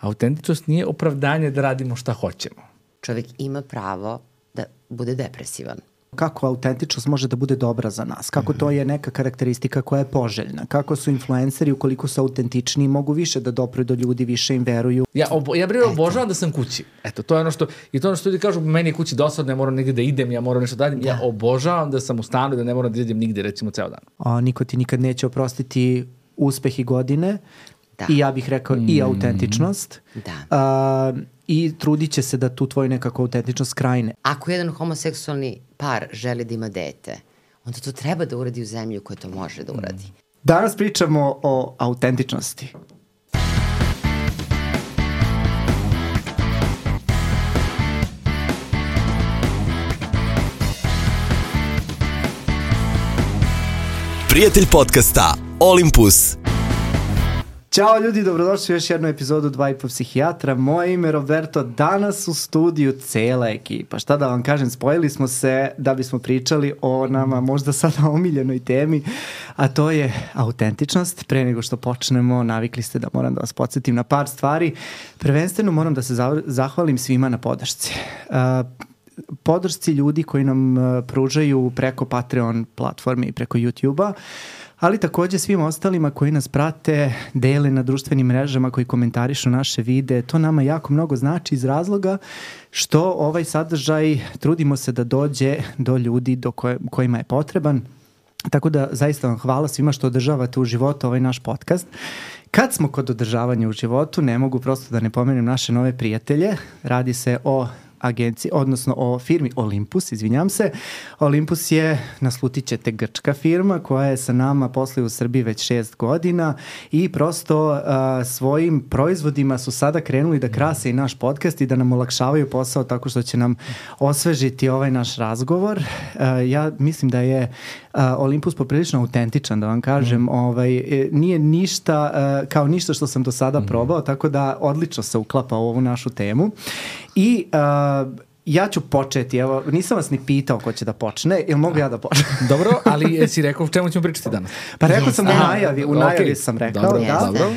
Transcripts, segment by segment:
Autentičnost nije opravdanje da radimo šta hoćemo. Čovjek ima pravo da bude depresivan. Kako autentičnost može da bude dobra za nas, kako to je neka karakteristika koja je poželjna, kako su influenceri ukoliko su autentični mogu više da dopru do ljudi, više im veruju. Ja obožavam da sam kući. Eto, to je ono što, i to ono što ljudi kažu, meni je kući dosadno, ne moram nigde da idem, ja moram nešto da radim. Ja obožavam da sam u stanu i da ne moram da idem nigde, recimo, ceo dan. Niko ti nikad neće oprostiti uspeh i godine. Da. I ja bih rekao i autentičnost. Da. I trudit će se da tu tvoju nekako autentičnost krajne. Ako jedan homoseksualni par želi da ima dete, onda to treba da uradi u zemlji u kojoj to može da uradi. Danas pričamo o autentičnosti. Prijatelj podcasta Olympus. Ćao ljudi, dobrodošli u još jednu epizodu 2,5 psihijatra. Moje ime je Roberto, danas u studiju cela ekipa. Šta da vam kažem, spojili smo se da bismo pričali o nama možda sada omiljenoj temi, a to je autentičnost. Pre nego što počnemo, navikli ste da moram da vas podsjetim na par stvari. Prvenstveno moram da se zahvalim svima na podršci. Podršci ljudi koji nam pružaju preko Patreon platforme i preko YouTube-a, ali takođe svim ostalima koji nas prate, dele na društvenim mrežama, koji komentarišu naše videe. To nama jako mnogo znači iz razloga što ovaj sadržaj trudimo se da dođe do ljudi kojima je potreban. Tako da zaista vam hvala svima što održavate u životu ovaj naš podcast. Kad smo kod održavanja u životu, ne mogu prosto da ne pomenem naše nove prijatelje. Radi se o agenciji, odnosno o firmi Olympus, izvinjam se. Olympus je, naslutit ćete, grčka firma koja je sa nama posluje u Srbiji već 6 godina i prosto svojim proizvodima su sada krenuli da krase i naš podcast i da nam olakšavaju posao tako što će nam osvežiti ovaj naš razgovor. Ja mislim da je Olympus poprilično autentičan, da vam kažem. Nije ništa kao ništa što sam do sada probao, tako da odlično se uklapa u ovu našu temu. I ja ću početi, evo, nisam vas ni pitao ko će da počne, ili mogu ja da počnem? Dobro, ali jesi rekao o čemu ćemo pričati danas? Pa rekao sam u najavi sam rekao, dobro.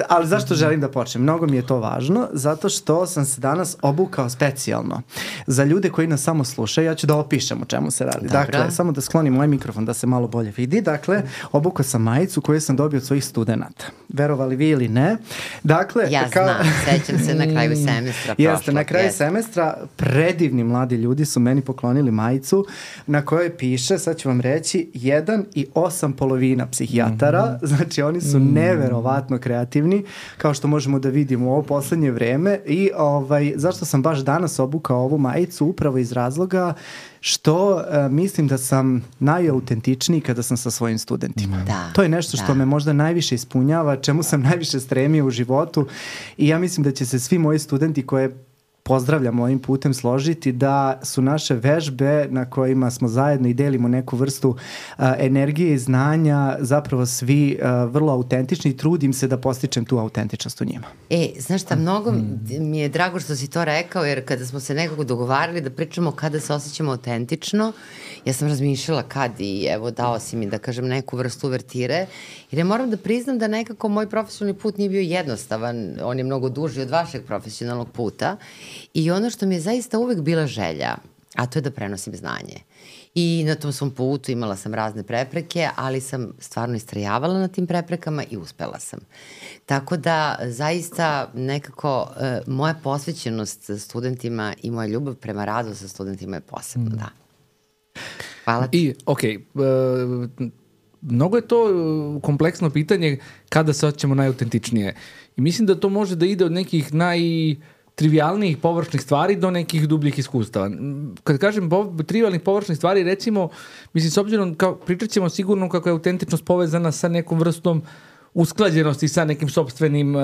Ali zašto želim da počnem? Mnogo mi je to važno, zato što sam se danas obukao specijalno. Za ljude koji nas samo slušaju, ja ću da opišem o čemu se radi. Dobra. Dakle, samo da sklonim moj mikrofon da se malo bolje vidi. Dakle, obukao sam majicu koju sam dobio od svojih studenata. Verovali vi ili ne? Dakle, znam, sećam se na kraju semestra. Jeste, na kraju semestra predivni mladi ljudi su meni poklonili majicu na kojoj piše, sad ću vam reći, 1 i 8 polovina psihijatara. Znači, oni su neverovatno kreativni, kao što možemo da vidimo u ovo poslednje vreme. I zašto sam baš danas obukao ovu majicu? Upravo iz razloga što mislim da sam najautentičniji kada sam sa svojim studentima. To je nešto što me možda najviše ispunjava, čemu sam najviše stremio u životu i ja mislim da će se svi moji studenti koje pozdravljam ovim putem složiti da su naše vežbe na kojima smo zajedno i delimo neku vrstu energije i znanja zapravo svi vrlo autentični i trudim se da postičem tu autentičnost u njima. Znaš šta, mnogo mi je drago što si to rekao, jer kada smo se nekako dogovarali da pričamo kada se osjećamo autentično, ja sam razmišljala kad i evo dao si mi da kažem neku vrstu uvertire, jer ja moram da priznam da nekako moj profesionalni put nije bio jednostavan, on je mnogo duži od vašeg profesionalnog puta. I ono što mi je zaista uvek bila želja, a to je da prenosim znanje. I na tom svom putu imala sam razne prepreke, ali sam stvarno istrajavala na tim preprekama i uspela sam. Tako da zaista nekako moja posvećenost studentima i moja ljubav prema radu sa studentima je posebno, da. Hvala ti. Mnogo je to kompleksno pitanje kada se osjećamo najautentičnije. I mislim da to može da ide od nekih trivijalnijih površnih stvari do nekih dubljih iskustava. Kad kažem trivijalnih površnih stvari, recimo, mislim, s obzirom, pričat ćemo sigurno kako je autentičnost povezana sa nekom vrstom usklađenosti sa nekim sopstvenim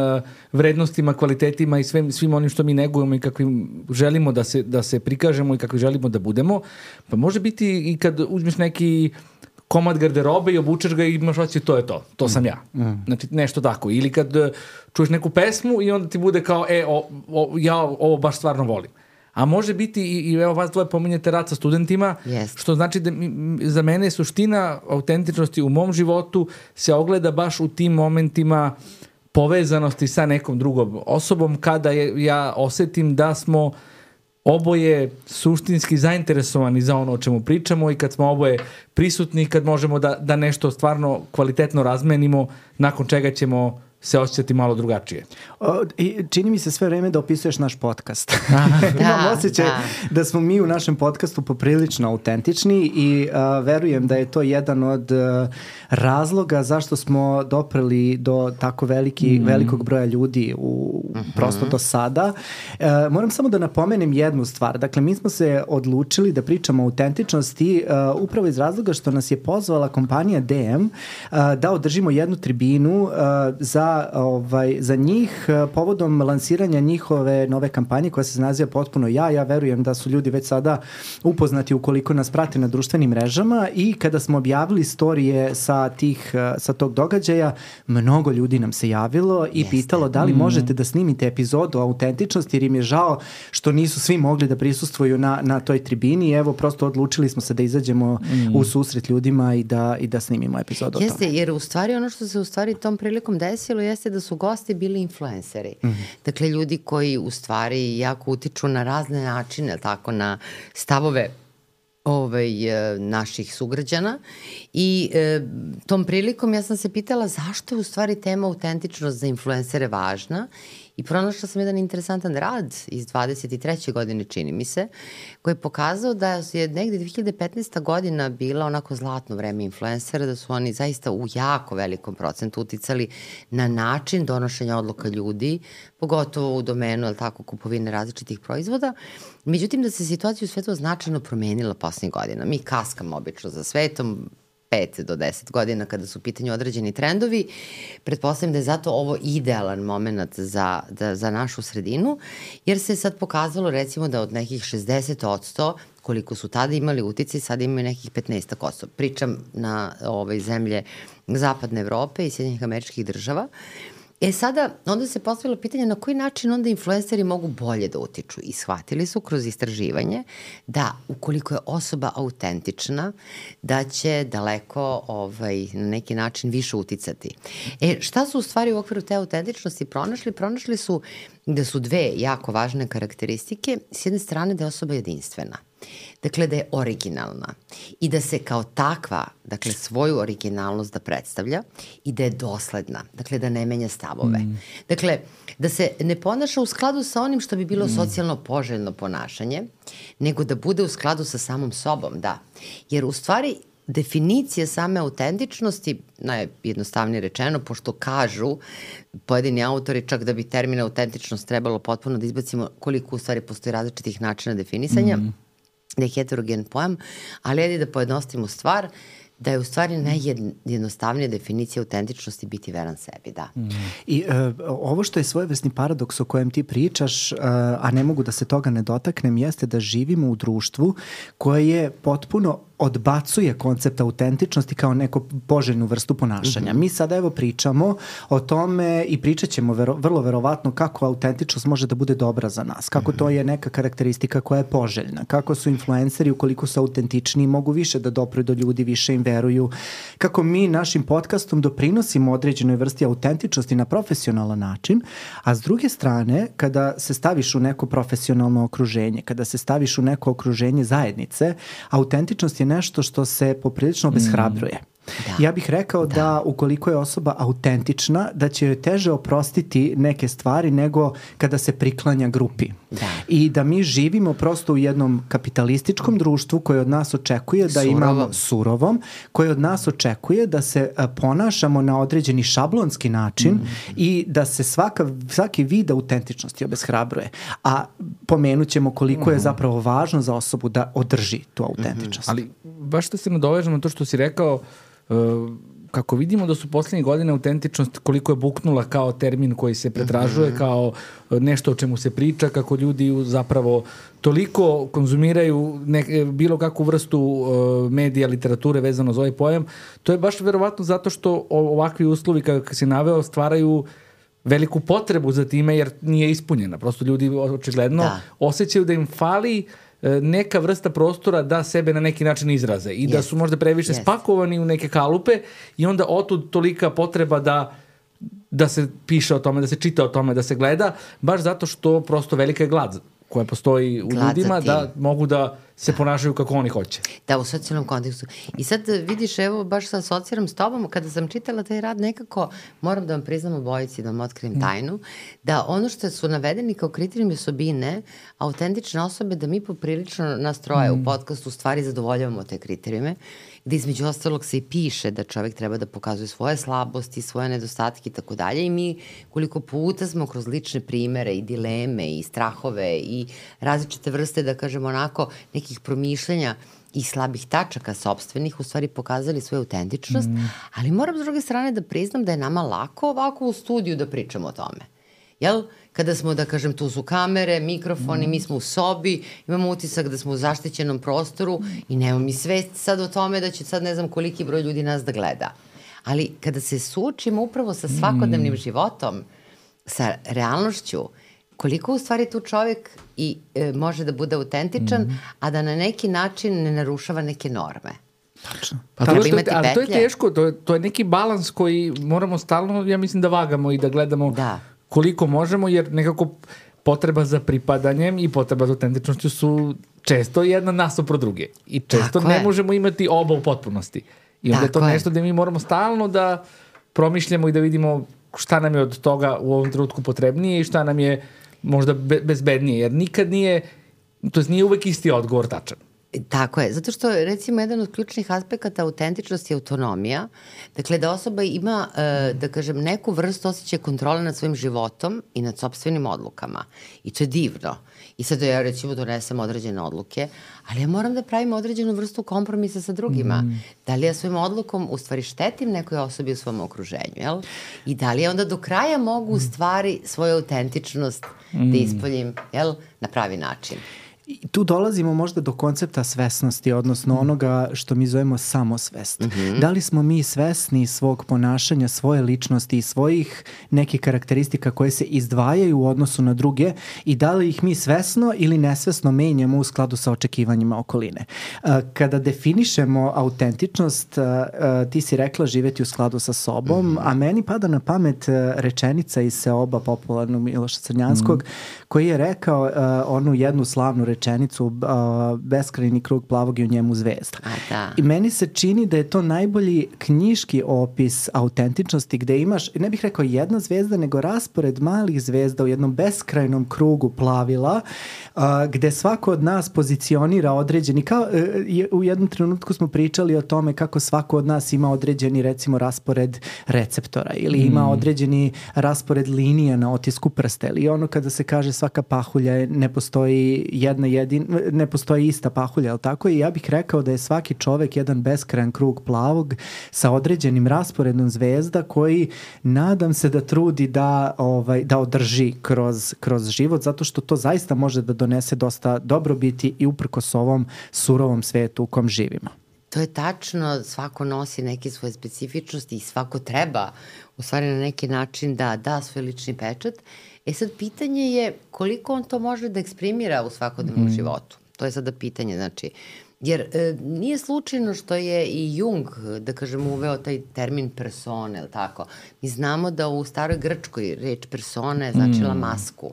vrednostima, kvalitetima i svim onim što mi negujemo i kakvim želimo da se prikažemo i kakvi želimo da budemo. Pa može biti i kad uzmeš neki komad garderobe i obučeš ga i imaš osjećaj to je to sam ja. Znači nešto tako. Ili kad čuješ neku pesmu i onda ti bude kao ja ovo baš stvarno volim. A može biti i evo vas dvoje pominjete rad sa studentima, što znači da za mene suština autentičnosti u mom životu se ogleda baš u tim momentima povezanosti sa nekom drugom osobom kada ja osetim da smo oboje suštinski zainteresovani za ono o čemu pričamo i kad smo oboje prisutni, kad možemo da nešto stvarno kvalitetno razmenimo, nakon čega ćemo se osjećati malo drugačije. Čini mi se sve vreme da opisuješ naš podcast. Imam osjećaj da smo mi u našem podcastu poprilično autentični i verujem da je to jedan od razloga zašto smo dopreli do tako velikog broja ljudi prosto do sada. Moram samo da napomenem jednu stvar. Dakle, mi smo se odlučili da pričamo o autentičnosti upravo iz razloga što nas je pozvala kompanija DM da održimo jednu tribinu za njih povodom lansiranja njihove nove kampanje koja se naziva Potpuno ja. Ja verujem da su ljudi već sada upoznati ukoliko nas prate na društvenim mrežama i kada smo objavili storije sa tog događaja, mnogo ljudi nam se javilo i pitalo da li možete da snimite epizodu o autentičnosti jer im je žao što nisu svi mogli da prisustvuju na toj tribini. Evo, prosto odlučili smo se da izađemo u susret ljudima i da snimimo epizodu o tome. Jeste, jer u stvari ono što se u stvari tom prilikom desilo jeste da su gosti bili influenceri. Dakle, ljudi koji u stvari jako utiču na razne načine, tako na stavove naših sugrađana i tom prilikom ja sam se pitala zašto je u stvari tema autentičnost za influencere važna i pronašla sam jedan interesantan rad iz 23. godine, čini mi se, koji je pokazao da je negde 2015. godina bila onako zlatno vreme influencera, da su oni zaista u jako velikom procentu uticali na način donošenja odluka ljudi, pogotovo u domenu, ali tako, kupovine različitih proizvoda. Međutim, da se situacija u svetu značajno promenila poslednjih godina. Mi kaskamo obično za svetom, 5 do 10 godina kada su u pitanju određeni trendovi. Pretpostavljam da je zato ovo idealan moment za našu sredinu, jer se sad pokazalo recimo da od nekih 60% koliko su tada imali uticaj, sada imaju nekih 15%. Pričam na zemlje Zapadne Evrope i Sjedinjenih Američkih Država. Sada, onda se postavilo pitanje na koji način onda influenceri mogu bolje da utiču i shvatili su kroz istraživanje da ukoliko je osoba autentična, da će daleko na neki način više uticati. Šta su u stvari u okviru te autentičnosti pronašli? Pronašli su da su dve jako važne karakteristike. S jedne strane da je osoba jedinstvena. Dakle, da je originalna i da se kao takva, dakle, svoju originalnost da predstavlja i da je dosledna, dakle, da ne menja stavove. Dakle, da se ne ponaša u skladu sa onim što bi bilo socijalno poželjno ponašanje, nego da bude u skladu sa samom sobom, da. Jer u stvari definicija same autentičnosti, najjednostavnije rečeno, pošto kažu pojedini autori čak da bi termin autentičnost trebalo potpuno da izbacimo koliko u stvari postoji različitih načina definisanja, da je heterogen pojam, ali ajde da pojednostavimo stvar, da je u stvari najjednostavnija definicija autentičnosti biti veran sebi, da. I ovo što je svojevrsni paradoks o kojem ti pričaš, a ne mogu da se toga ne dotaknem, jeste da živimo u društvu koje potpuno odbacuje koncept autentičnosti kao neku poželjnu vrstu ponašanja. Mi sada evo pričamo o tome i pričat ćemo vrlo verovatno kako autentičnost može da bude dobra za nas, kako to je neka karakteristika koja je poželjna, kako su influenceri ukoliko su autentični mogu više da dopru do ljudi, više im veruju, kako mi našim podcastom doprinosimo određenoj vrsti autentičnosti na profesionalan način, a s druge strane kada se staviš u neko profesionalno okruženje, kada se staviš u neko okruženje zajednice, autentičnost je nešto što se poprilično obeshrabruje. Ja bih rekao da ukoliko je osoba autentična, da će joj teže oprostiti neke stvari nego kada se priklanja grupi. I da mi živimo prosto u jednom kapitalističkom društvu koje od nas očekuje da imamo surovom, koje od nas očekuje da se ponašamo na određeni šablonski način i da se svaki vid autentičnosti obeshrabruje. A pomenut ćemo koliko je zapravo važno za osobu da održi tu autentičnost. Ali baš da se nadovežemo to što si rekao, kako vidimo da su poslednjih godina autentičnost koliko je buknula kao termin koji se pretražuje, kao nešto o čemu se priča, kako ljudi zapravo toliko konzumiraju bilo kakvu vrstu medija, literature vezano za ovaj pojam, to je baš verovatno zato što ovakvi uslovi kako si naveo stvaraju veliku potrebu za time jer nije ispunjena. Prosto ljudi očigledno osjećaju da im fali neka vrsta prostora da sebe na neki način izraze i da su možda previše spakovani u neke kalupe i onda otud tolika potreba da da se piše o tome, da se čita o tome, da se gleda, baš zato što prosto velika je glad koja postoji u ljudima, da mogu da se ponašaju kako oni hoće. Da, u socijalnom kontekstu. I sad vidiš, evo, baš sa asociram s tobom, kada sam čitala taj rad, nekako moram da vam priznam obojici, da vam otkrijem tajnu, da ono što su navedeni kao kriterijumi osobine, autentične osobe, da mi poprilično nas troje u podcastu stvari zadovoljavamo te kriterijume, gde između ostalog se i piše da čovek treba da pokazuje svoje slabosti, svoje nedostatke i tako dalje, i mi koliko puta smo kroz lične primere i dileme i strahove i različite vrste, da kažemo onako, nekih promišljenja i slabih tačaka sopstvenih, u stvari pokazali svoju autentičnost, ali moram s druge strane da priznam da je nama lako ovako u studiju da pričamo o tome. Jel? Kada smo, da kažem, tu su kamere, mikrofoni, mi smo u sobi, imamo utisak da smo u zaštićenom prostoru i nemamo mi svest sad o tome da će sad ne znam koliki broj ljudi nas da gleda. Ali kada se suočimo upravo sa svakodnevnim životom, sa realnošću, koliko u stvari tu čovjek i može da bude autentičan, a da na neki način ne narušava neke norme. Tačno. Ali to je teško, to je neki balans koji moramo stalno, ja mislim, da vagamo i da gledamo koliko možemo, jer nekako potreba za pripadanjem i potreba za autentičnošću su često jedna nasuprot druge. I često ne možemo imati oba u potpunosti. I onda je to nešto gde mi moramo stalno da promišljamo i da vidimo šta nam je od toga u ovom trenutku potrebnije i šta nam je možda bezbednije, jer nikad nije, to nije uvek isti odgovor tačan. Tako je, zato što recimo jedan od ključnih aspekata autentičnosti je autonomija, dakle da osoba ima, da kažem, neku vrstu osjećaja kontrole nad svojim životom i nad sopstvenim odlukama i to je divno. I sad ja recimo donesem određene odluke, ali ja moram da pravim određenu vrstu kompromisa sa drugima. Da li ja svojim odlukom u stvari štetim nekoj osobi u svom okruženju, jel? I da li ja onda do kraja mogu u stvari svoju autentičnost da ispoljim, jel, na pravi način. I tu dolazimo možda do koncepta svesnosti, odnosno onoga što mi zovemo samosvest. Da li smo mi svesni svog ponašanja, svoje ličnosti i svojih nekih karakteristika koje se izdvajaju u odnosu na druge i da li ih mi svesno ili nesvesno menjamo u skladu sa očekivanjima okoline. Kada definišemo autentičnost, ti si rekla živeti u skladu sa sobom, a meni pada na pamet rečenica iz Seoba popularnog Miloša Crnjanskog, koji je rekao onu jednu slavnu rečenicu, beskrajni krug plavog i u njemu zvezda. I meni se čini da je to najbolji knjiški opis autentičnosti gde imaš, ne bih rekao jedna zvezda, nego raspored malih zvezda u jednom beskrajnom krugu plavila, gde svako od nas pozicionira određeni, kao u jednom trenutku smo pričali o tome kako svako od nas ima određeni, recimo, raspored receptora ili ima određeni raspored linija na otisku prsta ili ono kada se kaže svaka pahulja ne postoji ne postoji ista pahulja, ali tako? I ja bih rekao da je svaki čovek jedan beskrajan krug plavog sa određenim rasporedom zvezda koji nadam se da trudi da održi kroz život, zato što to zaista može da donese dosta dobrobiti i uprkos ovom surovom svetu u kom živimo. To je tačno, svako nosi neke svoje specifičnosti i svako treba u stvari na neki način da da svoj lični pečat. Sad pitanje je koliko on to može da eksprimira u svakodnevnom životu. To je sada pitanje, znači, jer nije slučajno što je i Jung, da kažem, uveo taj termin persone, ili tako. Mi znamo da u staroj Grčkoj reč persona je značila masku.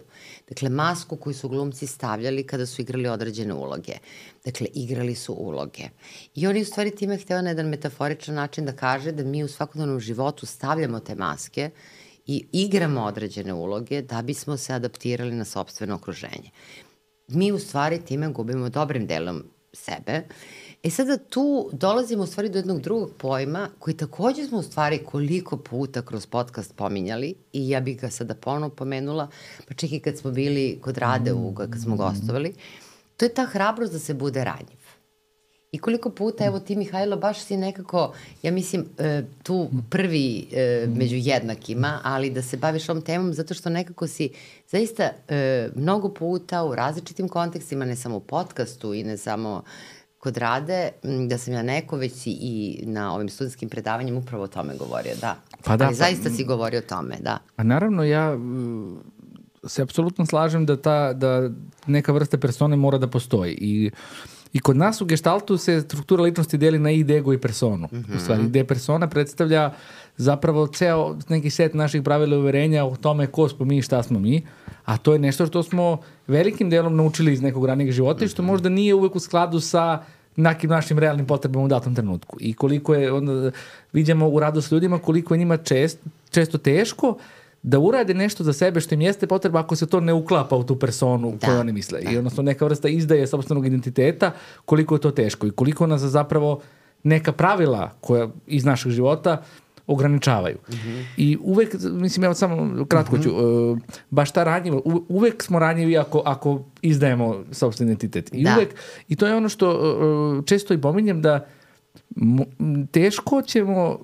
Dakle, masku koju su glumci stavljali kada su igrali određene uloge. Dakle, igrali su uloge. I on je u stvari time hteo na jedan metaforičan način da kaže da mi u svakodnevnom životu stavljamo te maske i igramo određene uloge da bismo se adaptirali na sopstveno okruženje. Mi u stvari time gubimo dobrim delom sebe. Sada tu dolazimo u stvari do jednog drugog pojma koji takođe smo u stvari koliko puta kroz podcast pominjali i ja bih ga sada ponovno pomenula, pa čak i kad smo bili kod Rade kad smo gostovali, to je ta hrabrost da se bude ranjiv. I koliko puta, evo ti Mihajlo, baš si nekako, ja mislim, tu prvi među jednakima, ali da se baviš ovom temom zato što nekako si zaista mnogo puta u različitim kontekstima, ne samo u podcastu i ne samo kod Rade, da sam ja neko već i na ovim studentskim predavanjima upravo o tome govorio, da. Ali zaista si govorio o tome, da. A naravno, ja se apsolutno slažem da neka vrsta persone mora da postoji i I kod nas u gestaltu se struktura ličnosti deli na id, ego i personu. U stvari, gde persona predstavlja zapravo ceo neki set naših pravila i uverenja o tome ko smo mi i šta smo mi, a to je nešto što smo velikim delom naučili iz nekog ranijeg života i što možda nije uvek u skladu sa nekim našim realnim potrebama u datom trenutku. I koliko je, onda vidimo u radu s ljudima, koliko je njima često teško da urade nešto za sebe što im jeste potreba ako se to ne uklapa u tu personu koju oni misle. I odnosno neka vrsta izdaje sopstvenog identiteta, koliko je to teško i koliko nas zapravo neka pravila koja iz našeg života ograničavaju. I uvek, mislim, evo samo kratko ću, baš ta ranjiva, uvek smo ranjivi ako izdajemo sopstveni identitet. I uvek, i to je ono što često i pominjem da teško ćemo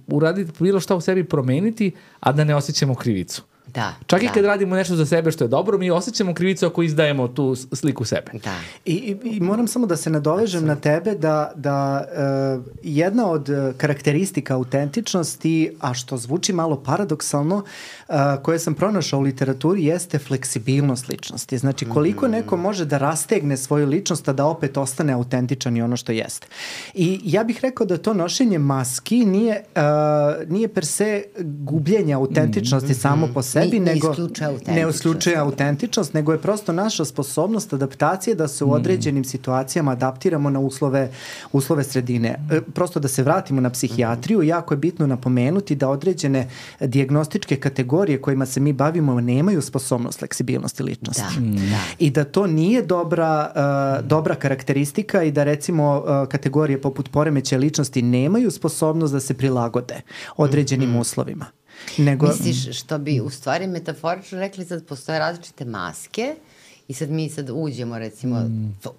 uraditi bilo šta u sebi promeniti, a da ne osjećamo krivicu. Da, čak i kad radimo nešto za sebe što je dobro, mi osjećamo krivicu ako izdajemo tu sliku sebe. Da. I moram samo da se nadovežem na tebe da jedna od karakteristika autentičnosti, a što zvuči malo paradoksalno, koje sam pronašao u literaturi, jeste fleksibilnost ličnosti. Znači, koliko neko može da rastegne svoju ličnost, a da opet ostane autentičan i ono što jeste. I ja bih rekao da to nošenje maski nije per se gubljenje autentičnosti samo po sebi, nego ne isključuje autentičnost, nego je prosto naša sposobnost adaptacije da se u određenim situacijama adaptiramo na uslove sredine. Prosto da se vratimo na psihijatriju, jako je bitno napomenuti da određene dijagnostičke kategorije kojima se mi bavimo nemaju sposobnost fleksibilnosti ličnosti. I da to nije dobra karakteristika i da recimo kategorije poput poremećaja ličnosti nemaju sposobnost da se prilagode određenim uslovima. Misliš što bi u stvari metaforično rekli, sad postoje različite maske i sad mi uđemo recimo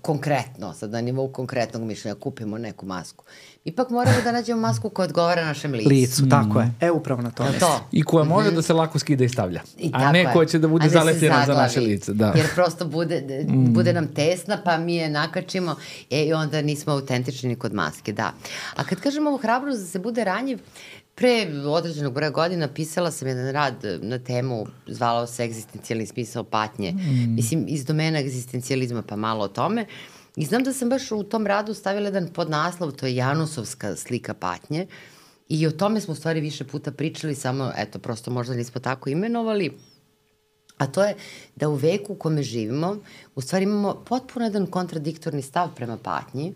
konkretno, sad na nivou konkretnog mišljenja kupimo neku masku. Ipak moramo da nađemo masku koja odgovara našem licu. Tako je. Upravo na to. I koja može da se lako skida i stavlja. A ne koja će da bude zalepljena za naše lice. Da. Jer prosto bude nam tesna, pa mi je nakačimo i onda nismo autentični ni kod maske. Da. A kad kažemo ovo hrabrost da se bude ranjiv, pre određenog broja godina pisala sam jedan rad na temu, zvalao se egzistencijalni smisao patnje. Mislim, iz domena egzistencijalizma, pa malo o tome. I znam da sam baš u tom radu stavila jedan podnaslov, to je Janusovska slika patnje. I o tome smo u stvari više puta pričali, samo, eto, prosto možda nismo tako imenovali. A to je da u veku u kome živimo, u stvari imamo potpuno jedan kontradiktorni stav prema patnji.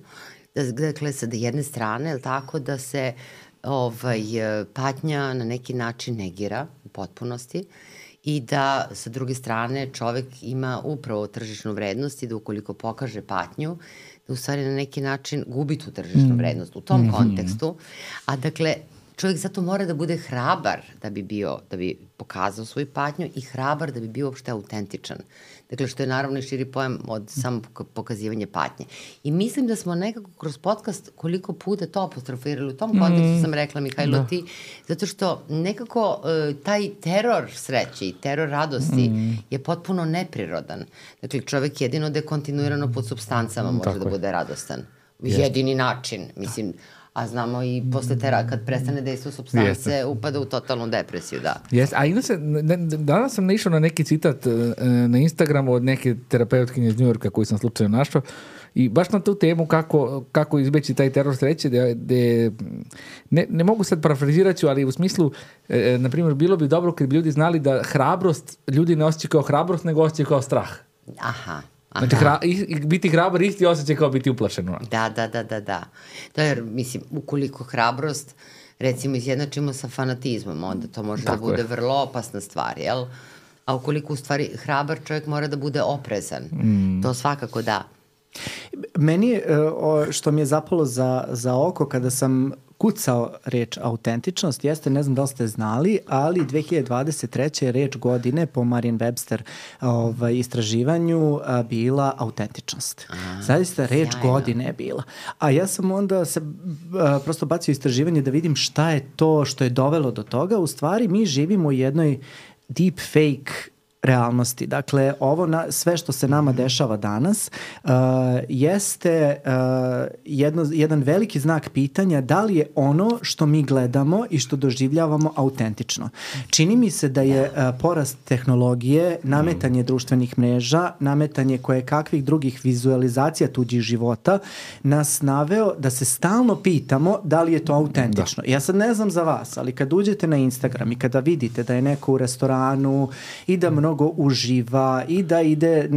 Dakle, sa jedne strane, je tako, da se patnja na neki način negira u potpunosti i da sa druge strane čovek ima upravo tržišnu vrednost i da ukoliko pokaže patnju, da u stvari na neki način gubi tu tržišnu vrednost u tom kontekstu. A dakle, čovjek zato mora da bude hrabar da bi pokazao svoju patnju i hrabar da bi bio uopšte autentičan. Dakle, što je naravno i širi pojam od samo pokazivanja patnje. I mislim da smo nekako kroz podcast koliko puta to apostrofirali. U tom kontekstu sam rekla, Mihajlo, ti, zato što nekako taj teror sreće i teror radosti je potpuno neprirodan. Dakle, čovjek jedino da je kontinuirano pod supstancama može da bude radostan. Jedini način, mislim. A znamo i posle kad prestane dejstvo supstance, upada u totalnu depresiju, da. Danas sam naišao na neki citat na Instagramu od neke terapeutkinje iz Njujorka koju sam slučajno našao i baš na tu temu kako izbeći taj teror sreće, ne mogu sad parafrazirati ću, ali u smislu, na primjer, bilo bi dobro kad bi ljudi znali da hrabrost ljudi ne osjećaju kao hrabrost, nego osjećaju kao strah. Aha. Znači, biti hrabar isti osjećaj kao biti uplašeno. Da. To je, mislim, ukoliko hrabrost, recimo, izjednačimo sa fanatizmom, onda to može da bude vrlo opasna stvar, jel? A ukoliko u stvari hrabar čovjek mora da bude oprezan, to svakako da. Meni je, što mi je zapalo za oko kada sam kucao reč autentičnost, jeste, ne znam da li ste znali, ali 2023. je reč godine po Merriam-Webster istraživanju bila autentičnost. Zaista reč godine je bila. A ja sam onda se prosto bacio istraživanje da vidim šta je to što je dovelo do toga. U stvari mi živimo u jednoj deep fake realnosti. Dakle, sve što se nama dešava danas jeste jedan veliki znak pitanja da li je ono što mi gledamo i što doživljavamo autentično. Čini mi se da je porast tehnologije, nametanje društvenih mreža, nametanje kakvih drugih vizualizacija tuđih života nas naveo da se stalno pitamo da li je to autentično. Ja sad ne znam za vas, ali kad uđete na Instagram i kada vidite da je neko u restoranu i da mnogo uživa i da ide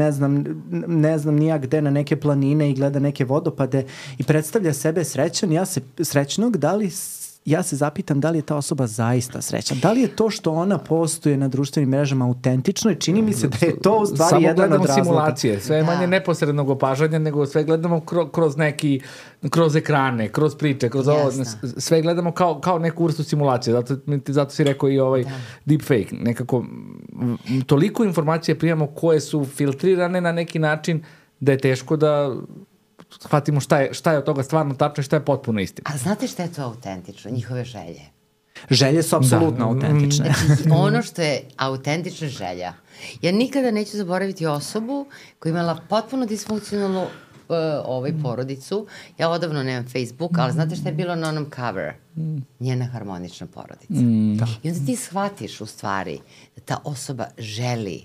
ne znam nija gde na neke planine i gleda neke vodopade i predstavlja sebe srećnog, ja se zapitam da li je ta osoba zaista srećna. Da li je to što ona postuje na društvenim mrežama autentično i čini mi se da je to u stvari jedan od razloga. Samo gledamo simulacije, sve je manje neposrednog opažanja, nego sve gledamo kroz ekrane, kroz priče, kroz ovo, sve gledamo kao neku vrstu simulacije. Zato si rekao i deepfake. Nekako, toliko informacije primamo koje su filtrirane na neki način da je teško da shvatimo šta je od toga stvarno tačno i šta je potpuno istina. A znate šta je to autentično? Njihove želje. Želje su apsolutno autentične. Znači, ono što je autentična želja. Ja nikada neću zaboraviti osobu koja je imala potpuno disfunkcionalnu porodicu. Ja odavno nemam Facebook, ali znate šta je bilo na onom cover? Njena harmonična porodica. I onda ti shvatiš u stvari da ta osoba želi.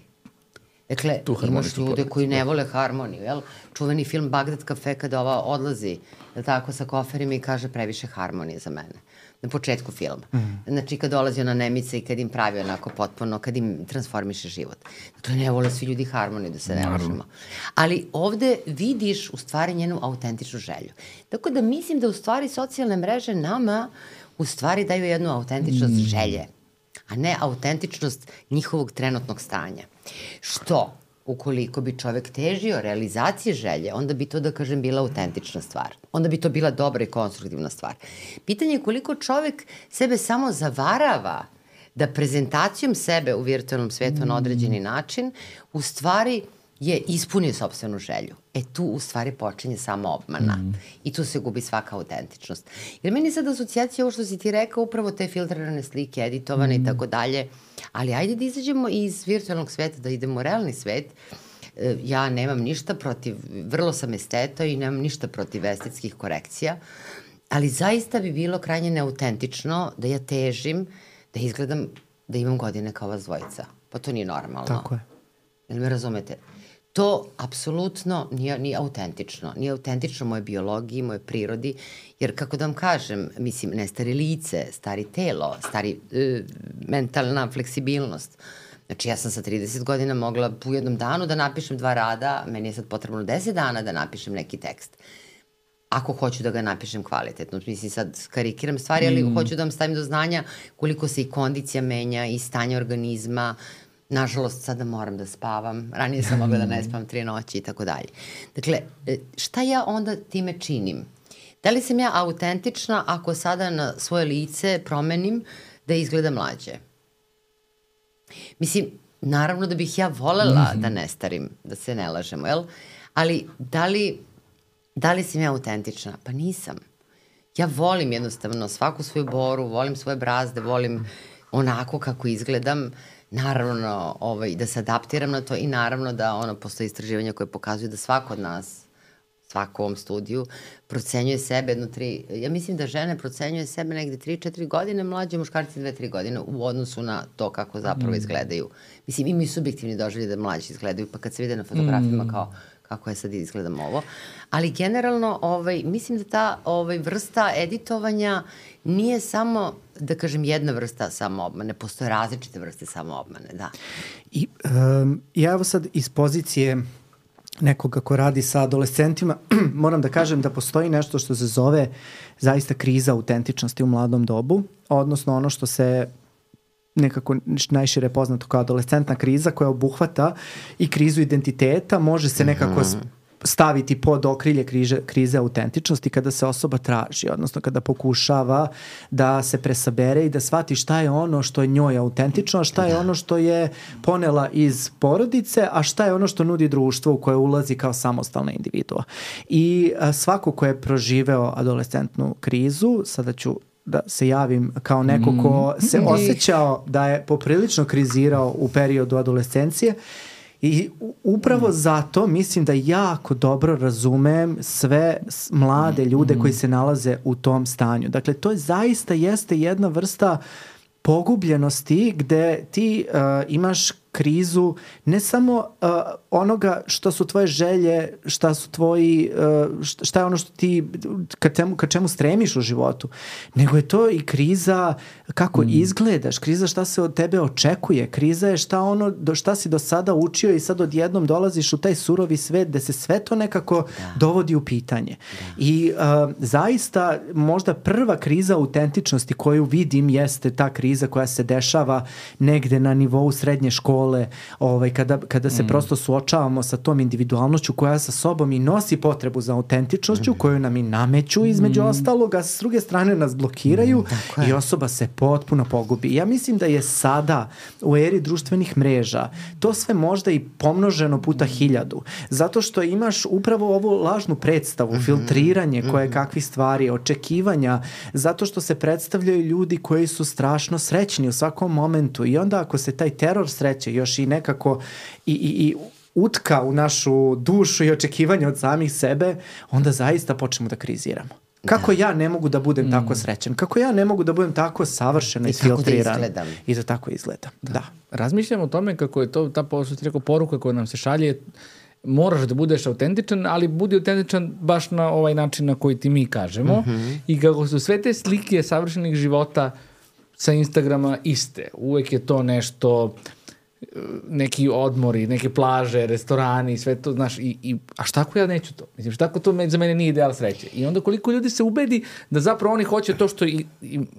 Dakle, imaš ljude koji ne vole harmoniju, jel? Čuveni film Bagdad kafe kada ova odlazi, tako, sa koferima i kaže previše harmonije za mene. Na početku filma. Znači, kad dolazi ona Nemica i kad im pravi onako potpuno, kad im transformiše život. Dakle, ne vole svi ljudi harmoniju, da se ne lažemo. Ali ovde vidiš u stvari njenu autentičnu želju. Tako da mislim da u stvari socijalne mreže nama u stvari daju jednu autentičnost želje, a ne autentičnost njihovog trenutnog stanja. Što, ukoliko bi čovek težio realizacije želje, onda bi to, da kažem, bila autentična stvar. Onda bi to bila dobra i konstruktivna stvar. Pitanje je koliko čovek sebe samo zavarava da prezentacijom sebe u virtualnom svetu na određeni način u stvari je ispunio sopstvenu želju. Tu u stvari počinje samo obmana. I tu se gubi svaka autentičnost. Jer meni sad asocijacija ovo što si ti rekao, upravo te filtrirane slike, editovane i tako dalje, ali ajde da izađemo iz virtualnog sveta, da idemo u realni svet. Ja nemam ništa protiv, vrlo sam esteta i nemam ništa protiv estetskih korekcija, ali zaista bi bilo krajnje neautentično da ja težim, da izgledam, da imam godine kao vas dvojica. Pa to nije normalno. Tako je. Jel me razumete? To apsolutno nije autentično. Nije autentično moje biologiji, moje prirodi, jer kako da vam kažem, mislim, ne stari lice, stari telo, stari mentalna fleksibilnost. Znači, ja sam sa 30 godina mogla u jednom danu da napišem 2 rada, meni je sad potrebno 10 dana da napišem neki tekst. Ako hoću da ga napišem kvalitetno. Mislim, sad karikiram stvari, ali hoću da vam stavim do znanja koliko se i kondicija menja i stanje organizma. Nažalost, sada moram da spavam. Ranije sam mogla da ne spavam 3 noći i tako dalje. Dakle, šta ja onda time činim? Da li sam ja autentična ako sada na svoje lice promenim da izgleda mlađe? Mislim, naravno da bih ja volela da ne starim, da se ne lažemo, jel? Ali da li sam ja autentična? Pa nisam. Ja volim jednostavno svaku svoju boru, volim svoje brazde, volim onako kako izgledam. Naravno, da se adaptiram na to i naravno da postoje istraživanja koje pokazuju da svako od nas, svako u ovom studiju, procenjuje sebe ja mislim da žene procenjuje sebe negde 3-4 godine, mlađe muškarci 2-3 godine u odnosu na to kako zapravo izgledaju. Mislim, imaju subjektivni doživljaj da mlađi izgledaju, pa kad se vide na fotografijama kao kako ja sad izgledam ovo. Ali generalno, mislim da ta vrsta editovanja nije samo, da kažem, jedna vrsta samoobmane, postoje različite vrste samoobmane, da. I ja evo sad iz pozicije nekoga ko radi sa adolescentima, moram da kažem da postoji nešto što se zove zaista kriza autentičnosti u mladom dobu, odnosno ono što se nekako najšire poznato kao adolescentna kriza koja obuhvata i krizu identiteta, može se nekako staviti pod okrilje krize autentičnosti kada se osoba traži, odnosno kada pokušava da se presabere i da shvati šta je ono što je njoj autentično, a šta je ono što je ponela iz porodice, a šta je ono što nudi društvo u koje ulazi kao samostalna individua. I svako ko je proživeo adolescentnu krizu, sada ću da se javim kao neko ko se osjećao da je poprilično krizirao u periodu adolescencije i upravo zato mislim da jako dobro razumem sve mlade ljude koji se nalaze u tom stanju. Dakle, to zaista jeste jedna vrsta pogubljenosti gde ti imaš krizu ne samo onoga što su tvoje želje, šta su tvoji, šta je ono što ti ka čemu stremiš u životu, nego je to i kriza kako izgledaš, kriza šta se od tebe očekuje, kriza je šta si do sada učio i sad odjednom dolaziš u taj surovi svet gde se sve to nekako dovodi u pitanje. I zaista možda prva kriza autentičnosti koju vidim jeste ta kriza koja se dešava negde na nivou srednje škole, kada se prosto suočavamo sa tom individualnošću koja sa sobom i nosi potrebu za autentičnošću koju nam i nameću između ostalog, a s druge strane nas blokiraju i osoba se potpuno pogubi. Ja mislim da je sada u eri društvenih mreža to sve možda i pomnoženo puta 1000, zato što imaš upravo ovu lažnu predstavu, filtriranje koje kakvih stvari, očekivanja, zato što se predstavljaju ljudi koji su strašno srećni u svakom momentu i onda ako se taj teror sreće još i nekako i utka u našu dušu i očekivanje od samih sebe, onda zaista počnemo da kriziramo. Kako ja ne mogu da budem tako srećan? Kako ja ne mogu da budem tako savršeno isfiltriran? I da tako izgledam. Da. Razmišljam o tome kako je to ta poruka koja nam se šalje, moraš da budeš autentičan, ali budi autentičan baš na ovaj način na koji ti mi kažemo. I kako su sve te slike savršenih života sa Instagrama iste. Uvek je to nešto, neki odmori, neke plaže, restorani, sve to, znaš, a šta ako ja neću to? Mislim, šta ako to za mene nije ideal sreće? I onda koliko ljudi se ubedi da zapravo oni hoće to što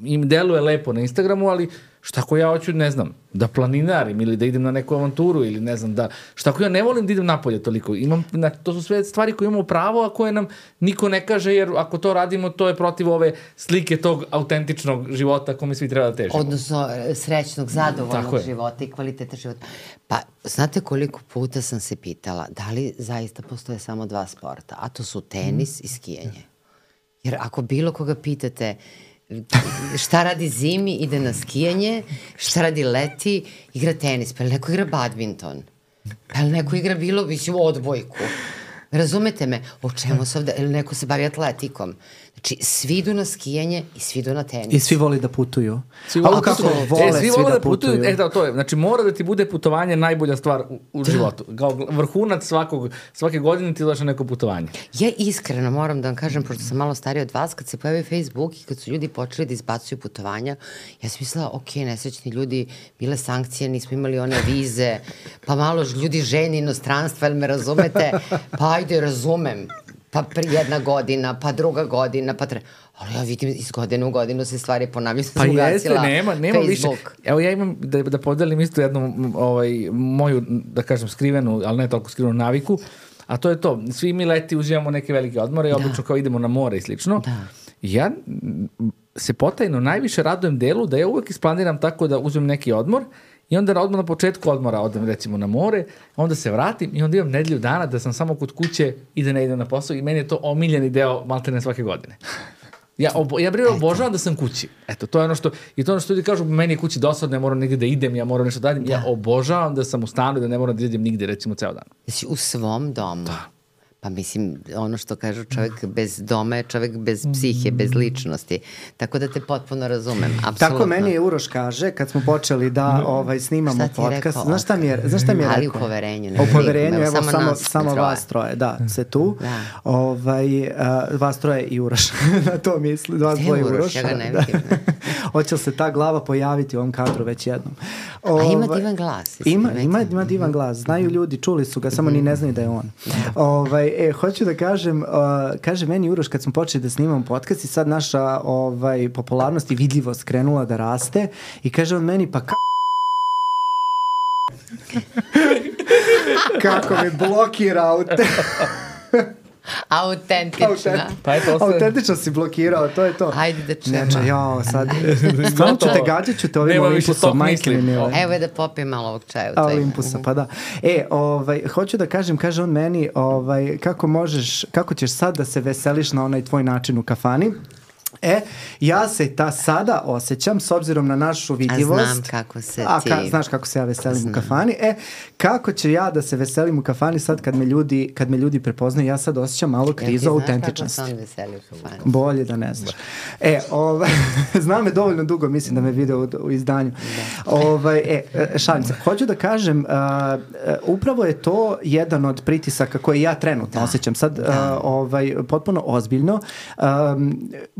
im deluje lepo na Instagramu, ali šta ako ja hoću, ne znam, da planinarim ili da idem na neku avanturu ili ne znam, šta ako ja ne volim da idem napolje toliko? To su sve stvari koje imamo pravo, a koje nam niko ne kaže, jer ako to radimo, to je protiv ove slike tog autentičnog života kome svi treba da težimo. Odnosno srećnog, zadovoljnog života i kvaliteta života. Pa, znate koliko puta sam se pitala da li zaista postoje samo 2 sporta, a to su tenis i skijanje. Jer ako bilo koga pitate šta radi zimi, ide na skijanje, šta radi leti, igra tenis, pa ili neko igra badminton, pa ili neko igra odbojku. Razumete me? O čemu se ovde, ili neko se bavi atletikom. Znači, svi idu na skijanje i svi idu na tenis. I svi voli da putuju. Svi vole da putuju. To je. Znači, mora da ti bude putovanje najbolja stvar u životu. Kao vrhunac svake godine ti dođe neko putovanje. Ja iskreno moram da vam kažem, pošto sam malo starija od vas, kad se pojavio Facebook i kad su ljudi počeli da izbacuju putovanja, ja sam mislila, ok, nesrećni ljudi, bile sankcije, nismo imali one vize, pa malo ljudi ženi inostranstva, ili me razumete? Pa ajde, razumem. Pa 1 godina, pa 2 godina, pa 3. Ali ja vidim iz godine u godinu se stvari ponavljaju. Pa jeste, nema više. Evo ja imam da podelim isto jednu moju, da kažem, skrivenu, ali ne toliko skrivenu naviku, a to je to. Svi mi leti uzimamo neke velike odmore i obično kao idemo na more i slično. Ja se potajno najviše radujem delu da ja uvek isplaniram tako da uzmem neki odmor i onda odmah na početku odmora odem recimo na more, onda se vratim i onda imam nedelju dana da sam samo kod kuće i da ne idem na posao i meni je to omiljeni deo maltene svake godine. Ja obožavam da sam kući. Eto, to je ono što, i to ono što ljudi kažu, meni je kući dosadno, ja moram negdje da idem, ja moram nešto da radim. Ja obožavam da sam u stanu i da ne moram da idem nigde recimo ceo dan. Jesi u svom domu? Pa mislim, ono što kažu, čovjek bez doma je čovjek bez psihe, bez ličnosti. Tako da te potpuno razumem, apsolutno. Tako meni je Uroš kaže, kad smo počeli da snimamo podcast. Znaš šta mi je rekao? Ali u poverenju. U poverenju, evo samo vas troje. Da, se tu. Vas troje i Uroš. Na to misli. Vas dvoje Uroš. Ja ga ne vidim. Hoće li se ta glava pojaviti u ovom kadru već jednom? A ima divan glas. Ima divan glas. Znaju ljudi, čuli su ga, samo ni ne znaju da je on. Hoću da kažem, kaže meni Uroš kad smo počeli da snimamo podcast i sad naša popularnost i vidljivost krenula da raste i kaže on meni pa kako me blokira autentična. Autentično si blokirao, to je to. Ajde da čujemo. Znači, sad, stvarno ću te gađat ću te ovim Olympusom, majke mi mile. Evo je da popijem malo ovog čaja. Olympusa, pa da. Hoću da kažem, kaže on meni, kako ćeš sad da se veseliš na onaj tvoj način u kafani. Ja se sada osjećam, s obzirom na našu vidljivost... A znam kako se ti... Znaš kako se ja veselim u kafani. Kako će ja da se veselim u kafani sad kad me ljudi prepoznaju, ja sad osjećam malo krizu autentičnosti. Znaš kako se on veseli u kafani? Bolje da ne znaš. Znam me dovoljno dugo, mislim da me vide u izdanju. Šalim se. Hoću da kažem, upravo je to jedan od pritisaka koje ja trenutno osjećam. Sad, potpuno ozbiljno.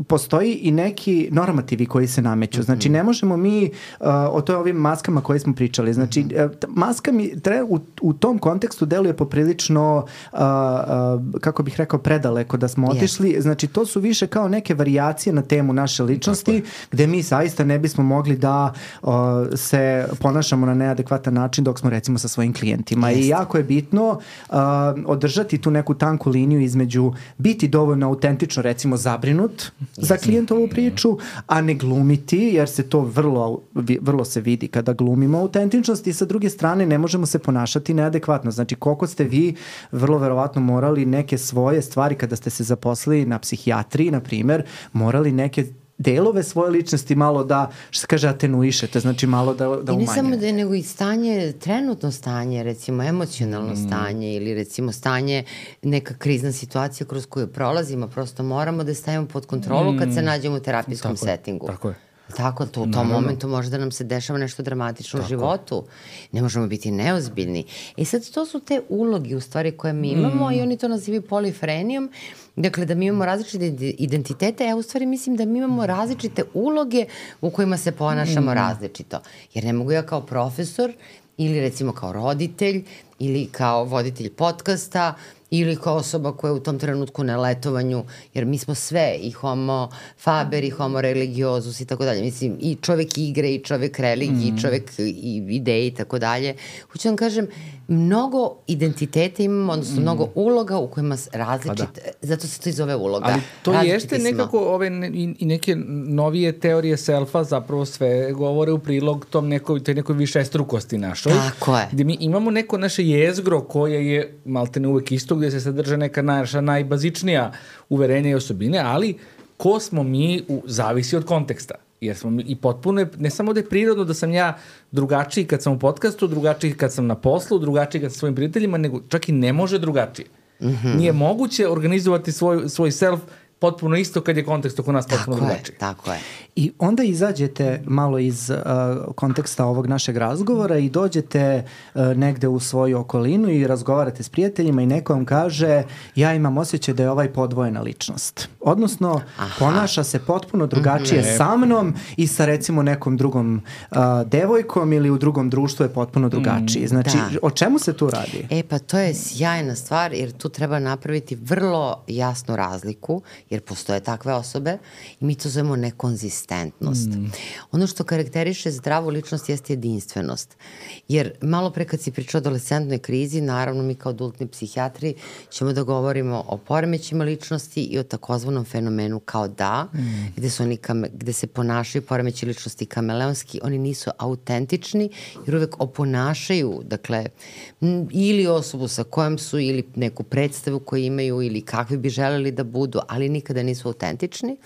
Postoji i neki normativi koji se nameću. Znači, ne možemo mi o ovim maskama koje smo pričali. Znači, maska mi u tom kontekstu deluje poprilično, kako bih rekao, predaleko da smo otišli. Znači, to su više kao neke varijacije na temu naše ličnosti, gde mi zaista ne bismo mogli da se ponašamo na neadekvatan način dok smo, recimo, sa svojim klijentima. I jako je bitno održati tu neku tanku liniju između biti dovoljno autentično, recimo, zabrinut za klijentovu priču, a ne glumiti, jer se to vrlo se vidi kada glumimo autentičnost, i sa druge strane ne možemo se ponašati neadekvatno. Znači, koliko ste vi vrlo verovatno morali neke svoje stvari kada ste se zaposlili na psihijatriji, na primer, morali neke delove svoje ličnosti malo da, što se kaže, atenuišete, znači malo da umanjete. I ne samo da je, nego i stanje, trenutno stanje, recimo emocionalno stanje ili recimo stanje, neka krizna situacija kroz koju prolazimo, prosto moramo da stavimo pod kontrolu kad se nađemo u terapijskom settingu. Tako je. Tako, u tom momentu može da nam se dešava nešto dramatično u životu. Ne možemo biti neozbiljni. Sad, to su te uloge u stvari koje mi imamo i oni to nazivaju polifrenijom. Dakle, da mi imamo različite identitete, ja u stvari mislim da mi imamo različite uloge u kojima se ponašamo različito. Jer ne mogu ja kao profesor ili recimo kao roditelj ili kao voditelj podcasta ili kao osoba koja je u tom trenutku na letovanju, jer mi smo sve, i homo faber, i homo religiozus i tako dalje. Mislim, i čovek igre, i čovek religije, i čovek i ideje i tako dalje. Hoću vam kažem, mnogo identiteta imamo, odnosno mnogo uloga u kojima različite, zato se to i zove uloga. Ali to jeste nekako i neke novije teorije selfa zapravo sve govore u prilog toj nekoj višestrukosti našoj. Tako je. Gde mi imamo neko naše jezgro koje je maltene uvek isto, gde se sadrže neka naša najbazičnija uverenja i osobine, ali ko smo mi zavisi od konteksta. Jer smo i potpuno, ne samo da je prirodno da sam ja drugačiji kad sam u podcastu, drugačiji kad sam na poslu, drugačiji kad sam svojim prijateljima, nego čak i ne može drugačije. Nije moguće organizovati svoj self potpuno isto kad je kontekst oko nas potpuno drugačiji. Tako je. I onda izađete malo iz konteksta ovog našeg razgovora i dođete negde u svoju okolinu i razgovarate s prijateljima i neko vam kaže, ja imam osjećaj da je ovaj podvojena ličnost. Odnosno, ponaša se potpuno drugačije sa mnom i sa recimo nekom drugom devojkom ili u drugom društvu je potpuno drugačiji. Znači, o čemu se tu radi? Pa to je sjajna stvar, jer tu treba napraviti vrlo jasnu razliku, jer postoje takve osobe i mi to zovemo nekonzistentnost. Ono što karakteriše zdravu ličnost jeste jedinstvenost. Jer malo pre kad si pričao o adolescentnoj krizi, naravno mi kao adultni psihijatri ćemo da govorimo o poremećima ličnosti i o takozvanom fenomenu kao gde se ponašaju poremeći ličnosti kameleonski, oni nisu autentični jer uvek oponašaju, dakle, ili osobu sa kojom su ili neku predstavu koju imaju ili kakvi bi želeli da budu, ali nikada nisu autentični.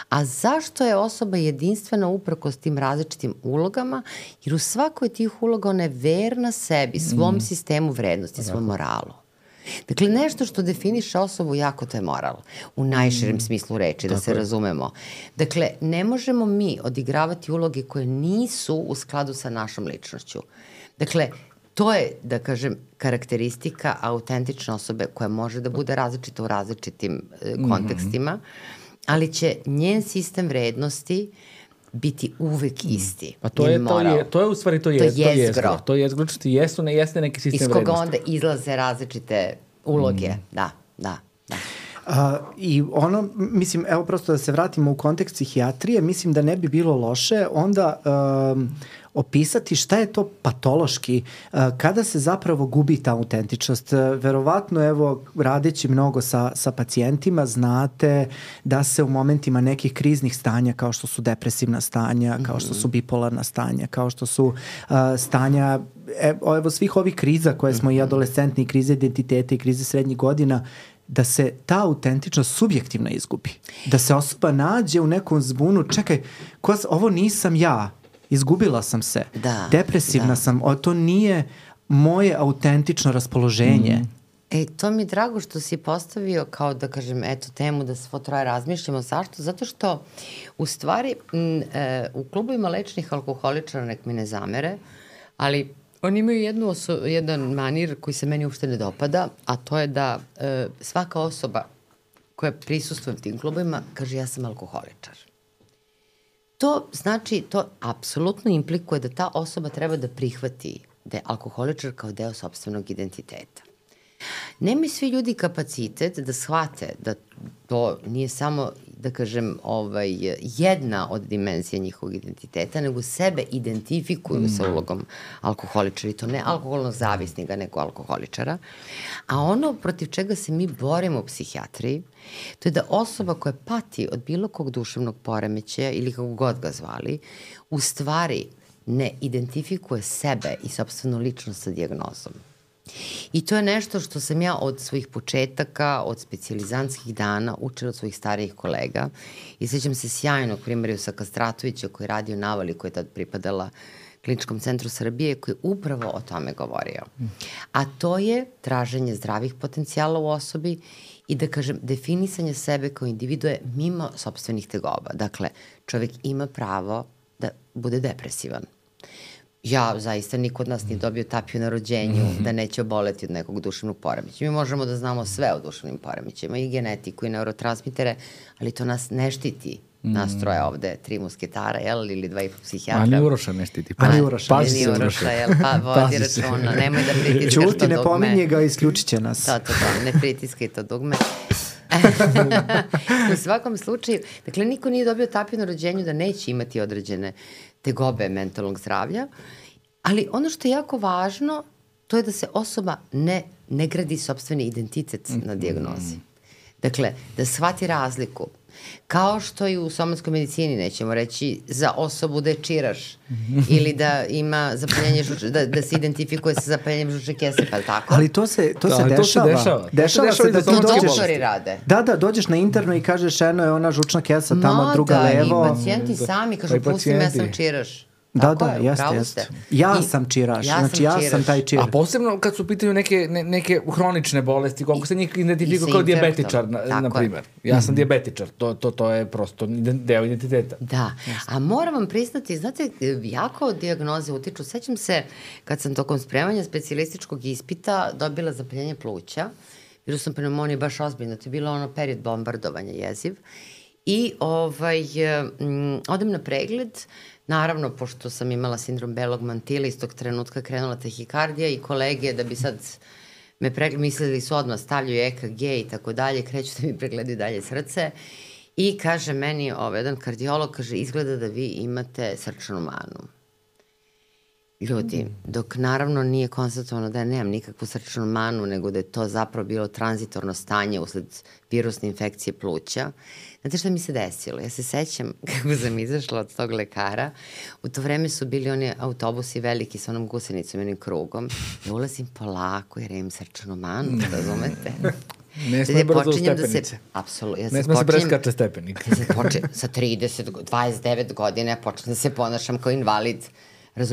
A zašto je osoba jedinstvena uprkos tim različitim ulogama? Jer u svakoj tih uloga ona je verna sebi, svom sistemu vrednosti, svom moralu. Dakle, nešto što definiše osobu jako, to je moral. U najširem smislu reči, da se razumemo. Dakle, ne možemo mi odigravati uloge koje nisu u skladu sa našom ličnošću. Dakle, to je, da kažem, karakteristika autentične osobe koja može da bude različita u različitim kontekstima, ali će njen sistem vrednosti biti uvek isti. Pa to je u stvari to jezgro. To je jezgro, jeste neki sistem vrednosti. Iz koga onda izlaze različite uloge. Da. I ono, mislim, evo prosto da se vratimo u kontekst psihijatrije, mislim da ne bi bilo loše onda opisati šta je to patološki, kada se zapravo gubi ta autentičnost. Verovatno, evo, radeći mnogo sa pacijentima, znate da se u momentima nekih kriznih stanja, kao što su depresivna stanja, kao što su bipolarna stanja, kao što su stanja, evo svih ovih kriza koje smo i adolescentni, krize identiteta i krize srednjih godina, da se ta autentičnost subjektivno izgubi. Da se osoba nađe u nekom zbunu, čekaj, ovo nisam ja, izgubila sam se, depresivna sam, to nije moje autentično raspoloženje. To mi je drago što si postavio kao da kažem, eto, temu da svo troje razmišljamo. Zašto? Zato što u stvari u klubovima lečnih alkoholičara, nek mi ne zamere, ali oni imaju jedan manir koji se meni uopšte ne dopada, a to je da svaka osoba koja prisustuje u tim klubovima kaže ja sam alkoholičar. To znači, to apsolutno implikuje da ta osoba treba da prihvati da je alkoholičar kao deo sopstvenog identiteta. Nemaju svi ljudi kapacitet da shvate da to nije samo, da kažem, jedna od dimenzija njihovog identiteta, nego sebe identifikuju sa ulogom alkoholičara, i to ne alkoholnog zavisnika, nego alkoholičara. A ono protiv čega se mi borimo u psihijatriji, to je da osoba koja pati od bilo kog duševnog poremećaja ili kako god ga zvali, u stvari ne identifikuje sebe i sopstvenu ličnost sa dijagnozom. I to je nešto što sam ja od svojih početaka, od specijalizantskih dana učila od svojih starijih kolega. I sećam se sjajnog primjera Kastratovića koji je radio u Navali, koja je tad pripadala Kliničkom centru Srbije, koji je upravo o tome govorio. A to je traženje zdravih potencijala u osobi i, da kažem, definisanje sebe kao individue mimo sopstvenih tegoba. Dakle, čovjek ima pravo da bude depresivan. Ja, zaista, niko od nas nije dobio tapiju na rođenju da neće oboleti od nekog duševnog poremeća. Mi možemo da znamo sve o duševnim poremećima, i genetiku, i neurotransmitere, ali to nas ne štiti. Nas troje ovde, 3 musketara, ili 2,5 psihijatra. A ni Uroša ne štiti. Ni Uroša. Ni Uroša, vodi računa. Nemoj da pritiskaš to dugme. Čuti, ne pominje ga, isključit će nas. To, ne pritiskaj to dugme. U svakom slučaju, dakle, niko nije dobio tapiju na rođenju da neće imati određene tegobe mentalnog zdravlja, ali ono što je jako važno, to je da se osoba ne gradi sopstveni identitet na dijagnozi. Dakle, da shvati razliku. Kao što i u somatskoj medicini, nećemo reći za osobu da je čiraš ili da ima zapaljenje da se identifikuje sa zapaljenjem žučne kese, pa tako? Ali to se dešava. Dešava se da ti doktori rade. Da, dođeš na interno i kažeš eno je ona žučna kesa tamo, druga levo. I pacijenti sami kažu pusti me, ja sam čiraš. Da, jeste. Ja sam čiraš, znači ja sam taj čir. A posebno kad su u pitanju neke hronične bolesti, koliko se njih identifikuje kao dijabetičar, na primjer. Ja sam dijabetičar, to je prosto deo identiteta. Da, a moram vam priznati, znate, jako dijagnoze utiču. Sećam se kad sam tokom spremanja specijalističkog ispita dobila zapaljenje pluća, virus sam pneumonije baš ozbiljno, to je bilo ono period bombardovanja jeziv, i odem na pregled. Naravno, pošto sam imala sindrom belog mantila, iz tog trenutka krenula tahikardija i kolege, da bi sad me mislili su odmah stavljaju EKG i tako dalje, kreću da mi pregledaju dalje srce i kaže meni jedan kardiolog, kaže, izgleda da vi imate srčanu manu. Ljudi, dok naravno nije konstatovano da ja nemam nikakvu srčanu manu, nego da je to zapravo bilo tranzitorno stanje usled virusne infekcije pluća. Znate šta mi se desilo? Ja se sećam kako sam izašla od tog lekara. U to vreme su bili oni autobusi veliki sa onom gusenicom i onim krugom. Ja ulazim polako jer imam srčanu manu, razumete? Ne sme brzo u stepenice. Apsolutno. Ne sme se preskače stepenik. Sa 29 godina ja počnem da se ponašam kao invalid.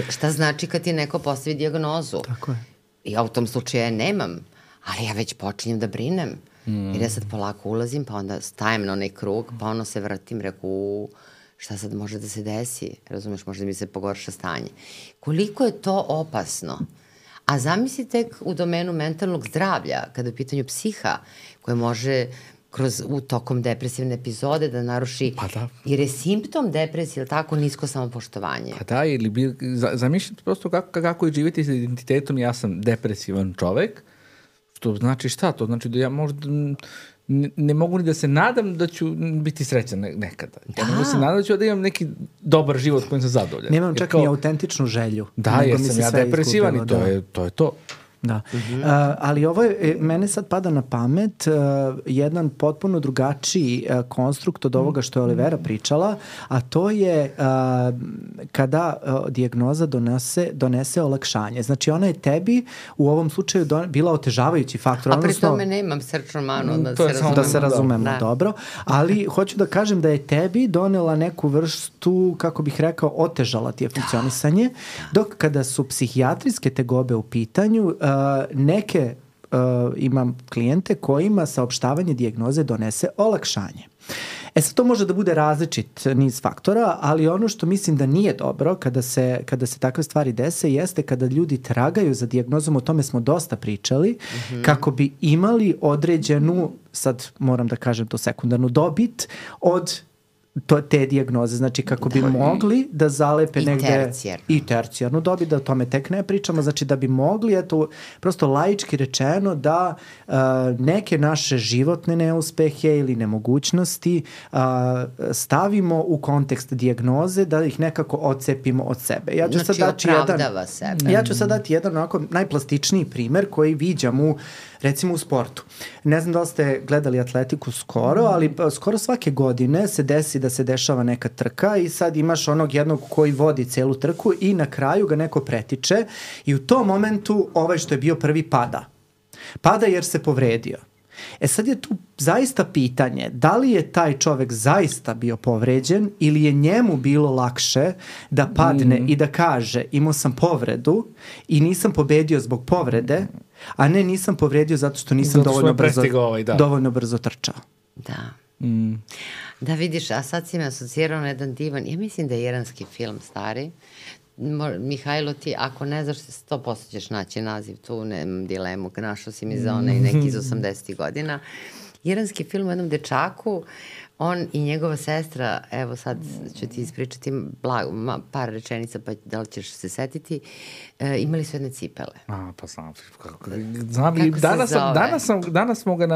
Šta znači kad ti neko postavi dijagnozu? Tako je. I ja u tom slučaju ja nemam, ali ja već počinjem da brinem. Jer ja sad polako ulazim, pa onda stajem na onaj krug, pa ono se vratim, reku, šta sad može da se desi? Razumeš, možda mi se pogorša stanje. Koliko je to opasno? A zamislite u domenu mentalnog zdravlja, kada je u pitanju psiha, koje može u tokom depresivne epizode da naruši, jer je simptom depresije, ili tako, nisko samopoštovanje. Pa da, ili zamišljate prosto kako je živjeti sa identitetom, ja sam depresivan čovek, Što znači šta? To znači da ja možda ne mogu ni da se nadam da ću biti srećan nekada. Ja mogu se nadam da ću da imam neki dobar život kojim sam zadovoljan. Nemam čak ni autentičnu želju. Da, jer sam ja depresivan i to je to. Da. Ali ovo je, mene sad pada na pamet jedan potpuno drugačiji konstrukt od ovoga što je Olivera pričala, a to je kada dijagnoza donese olakšanje. Znači ona je tebi u ovom slučaju bila otežavajući faktor. A pri tome nemam srčnu manu, da se razumemo dobro. Ali hoću da kažem da je tebi donela neku vrstu, kako bih rekao, otežala ti je funkcionisanje, dok kada su psihijatrijske tegobe u pitanju, neke imam klijente kojima saopštavanje dijagnoze donese olakšanje. Sad to može da bude različit niz faktora, ali ono što mislim da nije dobro kada se takve stvari dese jeste kada ljudi tragaju za dijagnozom, o tome smo dosta pričali, kako bi imali određenu, sad moram da kažem to, sekundarnu dobit od te dijagnoze, znači kako bi mogli da zalepe negde i tercijarnu dobit, da o tome tek ne pričamo, znači da bi mogli, eto, prosto laički rečeno da neke naše životne neuspehe ili nemogućnosti stavimo u kontekst dijagnoze, da ih nekako odcepimo od sebe. Ja ću opravdava sebe. Ja ću sad dati jedan onako najplastičniji primer koji viđam recimo u sportu. Ne znam da li ste gledali atletiku skoro, ali skoro svake godine se desi da se dešava neka trka i sad imaš onog jednog koji vodi celu trku i na kraju ga neko pretiče i u tom momentu ovaj što je bio prvi pada. Pada jer se povredio. Sad je tu zaista pitanje da li je taj čovek zaista bio povređen ili je njemu bilo lakše da padne i da kaže imao sam povredu i nisam pobedio zbog povrede, a ne nisam povredio zato što nisam dovoljno brzo trčao. Da. Da vidiš, a sad si me asocirao na jedan divan, ja mislim da je iranski film stari. Mihajlo, ti ako ne znaš, 100% ćeš naći naziv, tu nemam dilemu, našao si mi za onaj neki iz 80. godina. Iranski film o jednom dečaku, on i njegova sestra, evo sad ću ti ispričati par rečenica, pa da li ćeš se setiti, imali su jedne cipele. Pa znam. Danas smo ga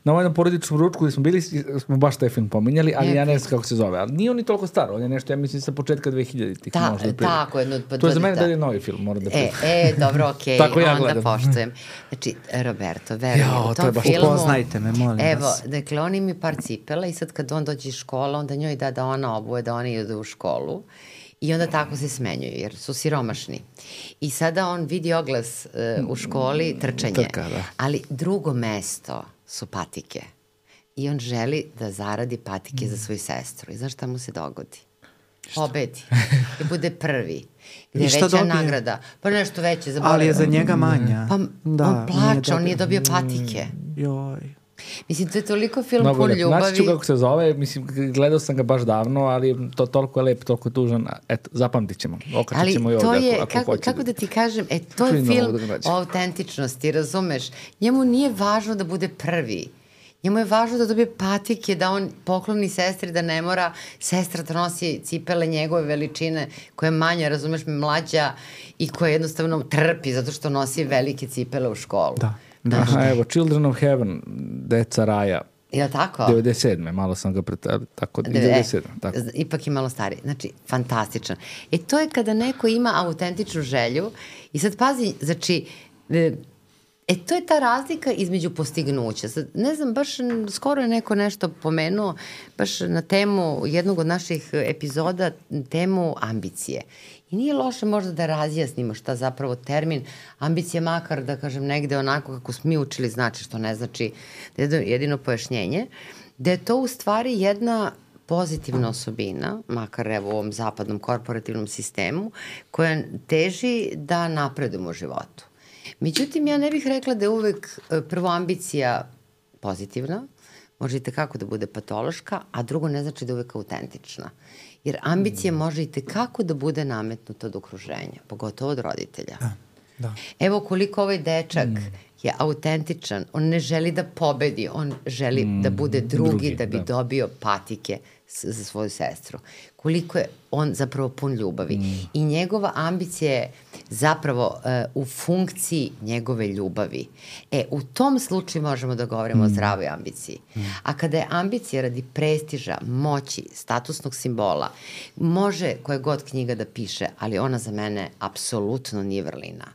na ovom porodičnom ručku gde smo bili, smo baš taj film pominjali, ali ja ne znam kako se zove. Ali nije on ni toliko staro, on je nešto, ja mislim, sa početka 2000-ih. Tako, to je za mene da je novi film, moram da pričam. Dobro, okej, onda poštujem. Znači, Roberto, verujem, u tom filmu... Upoznajte me, molim vas. Evo, dakle, on ima par cipela i sad kad on dođe iz škola, onda njoj da ona obuje, da oni idu u školu. I onda tako se smenjuju, jer su siromašni. I sada on vidi oglas u školi, trčanje. Ali drugo mesto su patike. I on želi da zaradi patike za svoju sestru. I znaš šta mu se dogodi? Pobedi. I bude prvi. Gde je veća nagrada. Pa nešto veće. Ali je za njega manja. Pa on plače, on nije dobio patike. Joj. Mislim, to je toliko film pun ljubavi. Naći ću kako se zove, mislim, gledao sam ga baš davno, ali to toliko je lep, toliko je tužan. Eto, zapamtit ćemo. Okačit ćemo i ovdje ako hoće. Kako da ti kažem, to je film o autentičnosti, razumeš? Njemu nije važno da bude prvi. Njemu je važno da dobije patike, da on pokloni sestri, da ne mora sestra da nosi cipele njegove veličine, koja je manja, razumeš, mlađa i koja jednostavno trpi zato što nosi velike cipele u školu. Da. Aha, evo, Children of Heaven, Deca raja. Je li tako? 97. Malo sam ga tako, 97. Tako. Ipak je malo stariji. Znači, fantastičan. To je kada neko ima autentičnu želju i sad pazi, znači, to je ta razlika između postignuća. Sad, ne znam, baš skoro je neko nešto pomenuo, baš na temu jednog od naših epizoda, temu ambicije. I nije loše možda da razjasnimo šta zapravo termin ambicija, makar da kažem negde onako kako smo mi učili znači, što ne znači jedino pojašnjenje, da je to u stvari jedna pozitivna osobina, makar evo u ovom zapadnom korporativnom sistemu, koja teži da napredujemo u životu. Međutim, ja ne bih rekla da je uvek prvo ambicija pozitivna, može i tekako da bude patološka, a drugo ne znači da je uvek autentična. Jer ambicija može i tekako da bude nametnuta od okruženja, pogotovo od roditelja. Da. Evo koliko ovaj dečak je autentičan. On ne želi da pobedi, on želi da bude drugi da bi dobio patike za svoju sestru. Koliko je on zapravo pun ljubavi. I njegova ambicija je zapravo u funkciji njegove ljubavi. U tom slučaju možemo da govorimo o zdravoj ambiciji. A kada je ambicija radi prestiža, moći, statusnog simbola, može koje god knjiga da piše, ali ona za mene apsolutno nije vrlina.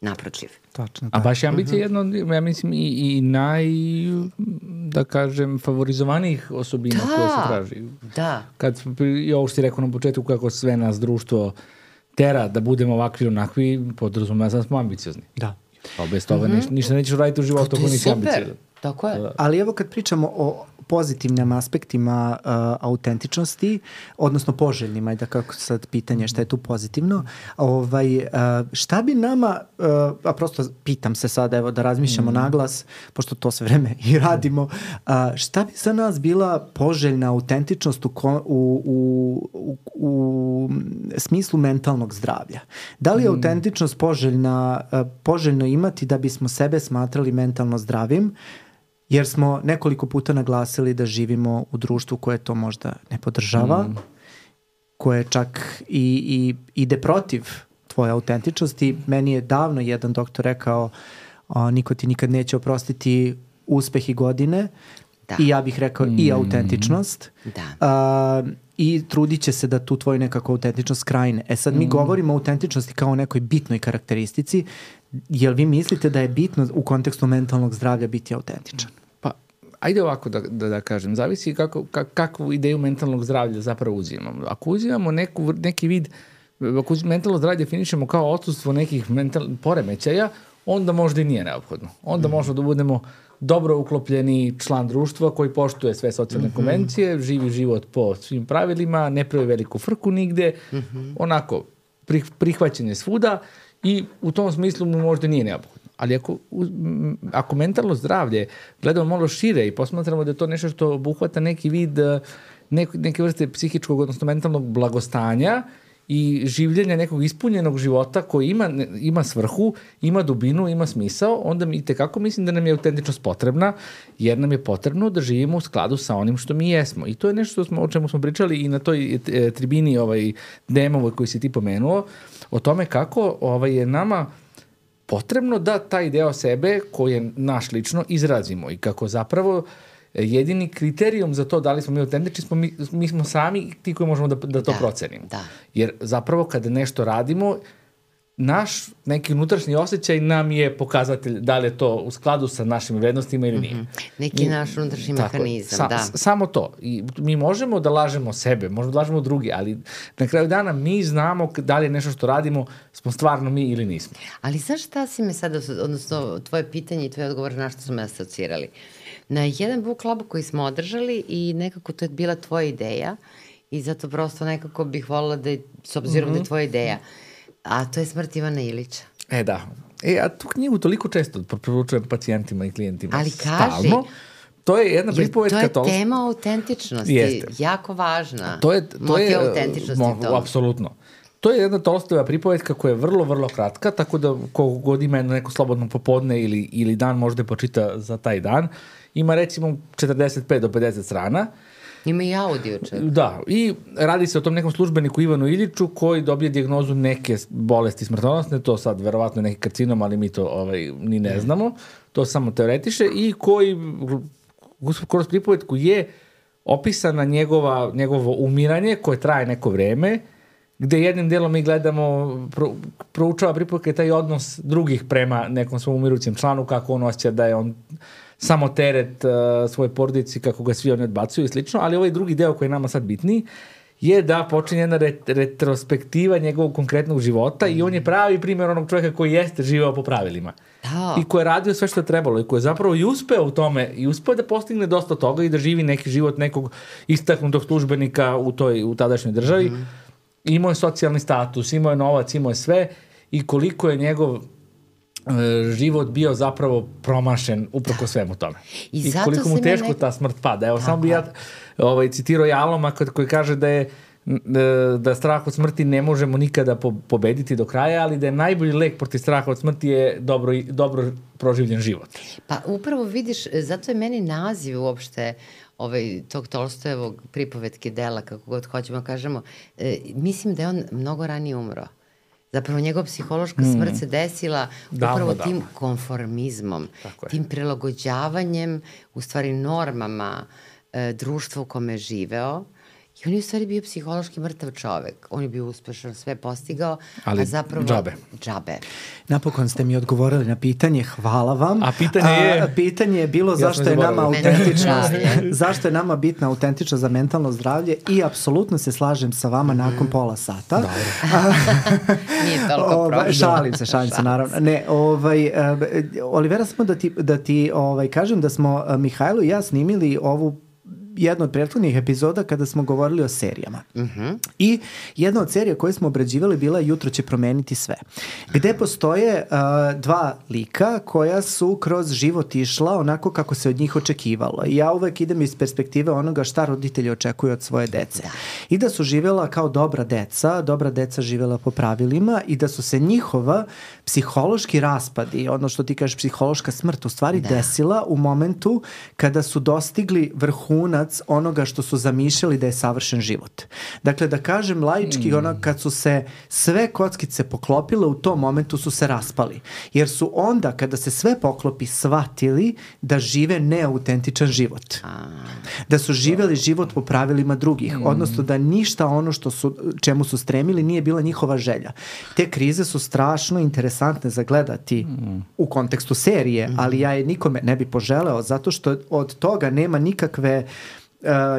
Naprotiv. Tačno. A baš je ambicija jedno, ja mislim, i da kažem, favorizovanijih osobina koje se traži. Da. Kad i ovo što si rekao na početku, kako sve nas društvo tera da budemo ovakvi onakvi, podrazumeva da smo ambiciozni. Da. Pa bez toga ništa nećeš raditi u životu ako nisi ambiciozan. Tako je. Ali evo kad pričamo o pozitivnim aspektima autentičnosti, odnosno poželjnima, da kako sad pitanje šta je tu pozitivno, šta bi nama, a prosto pitam se sad, evo da razmišljamo naglas, pošto to sve vreme i radimo, šta bi za nas bila poželjna autentičnost u smislu mentalnog zdravlja? Da li je autentičnost poželjno imati da bismo sebe smatrali mentalno zdravim, jer smo nekoliko puta naglasili da živimo u društvu koje to možda ne podržava, koje čak i ide protiv tvoje autentičnosti. Meni je davno jedan doktor rekao, niko ti nikad neće oprostiti uspeh i godine, i ja bih rekao i autentičnost. I trudit će se da tu tvoju nekako autentičnost krajine. Sad mi govorimo o autentičnosti kao o nekoj bitnoj karakteristici. Jel vi mislite da je bitno u kontekstu mentalnog zdravlja biti autentičan? Pa, ajde ovako da kažem. Zavisi kakvu ideju mentalnog zdravlja zapravo uzimamo. Ako uzimamo neki vid, ako mentalno zdravlje definišemo kao odsustvo nekih poremećaja, onda možda i nije neophodno. Onda možemo da budemo dobro uklopljeni član društva koji poštuje sve socijalne konvencije, živi život po svim pravilima, ne pravi veliku frku nigde, onako prihvaćen je svuda i u tom smislu mu možda nije neophodno. Ali ako mentalno zdravlje gledamo malo šire i posmatramo da je to nešto što obuhvata neki vid, neke vrste psihičkog, odnosno mentalnog blagostanja i življenja nekog ispunjenog života koji ima svrhu, ima dubinu, ima smisao, onda mi itekako mislim da nam je autentičnost potrebna, jer nam je potrebno da živimo u skladu sa onim što mi jesmo. I to je nešto o čemu smo pričali i na toj tribini DM-ovoj koji si ti pomenuo, o tome kako je nama potrebno da taj deo sebe koji je naš lično izrazimo i kako zapravo jedini kriterijum za to da li smo mi autentični mi smo sami ti koji možemo da to procenimo. Jer zapravo kada nešto radimo, naš neki unutrašnji osjećaj nam je pokazatelj da li je to u skladu sa našim vrednostima ili nije. Neki naš unutrašnji mehanizam, Samo to. I mi možemo da lažemo sebe, možemo da lažemo drugi, ali na kraju dana mi znamo da li je nešto što radimo, smo stvarno mi ili nismo. Ali znaš šta si me sada, odnosno tvoje pitanje i tvoj odgovor na što smo me asocirali? Na jedan book club koji smo održali i nekako to je bila tvoja ideja i zato prosto nekako bih volila da je, s obzirom da je tvoja ideja, a to je Smrt Ivana Ilića. Da. A tu knjigu toliko često preporučujem pacijentima i klijentima. Ali kaži, stalno. To je jedna pripovetka. To je tema autentičnosti, jako važna. Motiv autentičnosti to. Apsolutno. To je jedna Tolstojeva pripovetka koja je vrlo, vrlo kratka, tako da koliko god ima neko slobodno popodne ili dan možda počita za taj dan. Ima recimo 45 do 50 strana. Ima i audio čak. Da, i radi se o tom nekom službeniku Ivanu Iliću koji dobije dijagnozu neke bolesti smrtonosne, to sad verovatno neki karcinom, ali mi to ni ne znamo, to samo teoretiše, i koji kroz pripovetku je opisana njegovo umiranje koje traje neko vreme, gde jednim delom mi gledamo, proučava pripovetka taj odnos drugih prema nekom svom umirućem članu, kako on osjeća da je on samo teret svoje porodici, kako ga svi oni odbacuju i slično, ali ovaj drugi deo koji je nama sad bitniji je da počinje jedna retrospektiva njegovog konkretnog života i on je pravi primjer onog čovjeka koji jeste živeo po pravilima. I koji je radio sve što je trebalo i koji je zapravo i uspeo u tome i uspeo da postigne dosta toga i da živi neki život nekog istaknutog službenika u tadašnjoj državi. Imao je socijalni status, imao je novac, imao je sve i koliko je njegov život bio zapravo promašen uprko svemu tome. I koliko mu teško ta smrt pada. Evo, samo bi ja citirao Jaloma koji kaže da je da strah od smrti ne možemo nikada pobediti do kraja, ali da je najbolji lek protiv straha od smrti je dobro proživljen život. Pa upravo vidiš, zato je meni naziv uopšte tog Tolstojevog pripovetke dela, kako god hoćemo kažemo, mislim da je on mnogo ranije umro. Zapravo njegova psihološka smrt se desila upravo tim konformizmom, tim prilagođavanjem, u stvari normama društva u kome je živeo. I on je u stvari bio psihološki mrtav čovek. On je bio uspešan, sve postigao, ali a zapravo džabe. Napokon ste mi odgovorili na pitanje, hvala vam. A pitanje je bilo zašto je nama autentičnost, zašto je nama bitna autentičnost za mentalno zdravlje i apsolutno se slažem sa vama nakon pola sata. Nije toliko problem. Šalim se, naravno. Ne, Olivera, samo da ti kažem da smo Mihajlo i ja snimili ovu jednu od prethodnih epizoda kada smo govorili o serijama. I jedna od serija koje smo obrađivali bila Jutro će promeniti sve. Gde postoje dva lika koja su kroz život išla onako kako se od njih očekivalo. I ja uvek idem iz perspektive onoga šta roditelji očekuju od svoje dece. I da su živjela kao dobra deca živjela po pravilima i da su se njihova psihološki raspadi, ono što ti kažeš psihološka smrt, u stvari desila u momentu kada su dostigli vrhunac onoga što su zamišljali da je savršen život. Dakle, da kažem laički, kad su se sve kockice poklopile, u tom momentu su se raspali. Jer su onda, kada se sve poklopi, shvatili da žive neautentičan život. Da su živjeli život po pravilima drugih. Odnosno da ništa ono čemu su stremili nije bila njihova želja. Te krize su strašno interesantne za gledati u kontekstu serije, ali ja je nikome ne bi poželeo, zato što od toga nema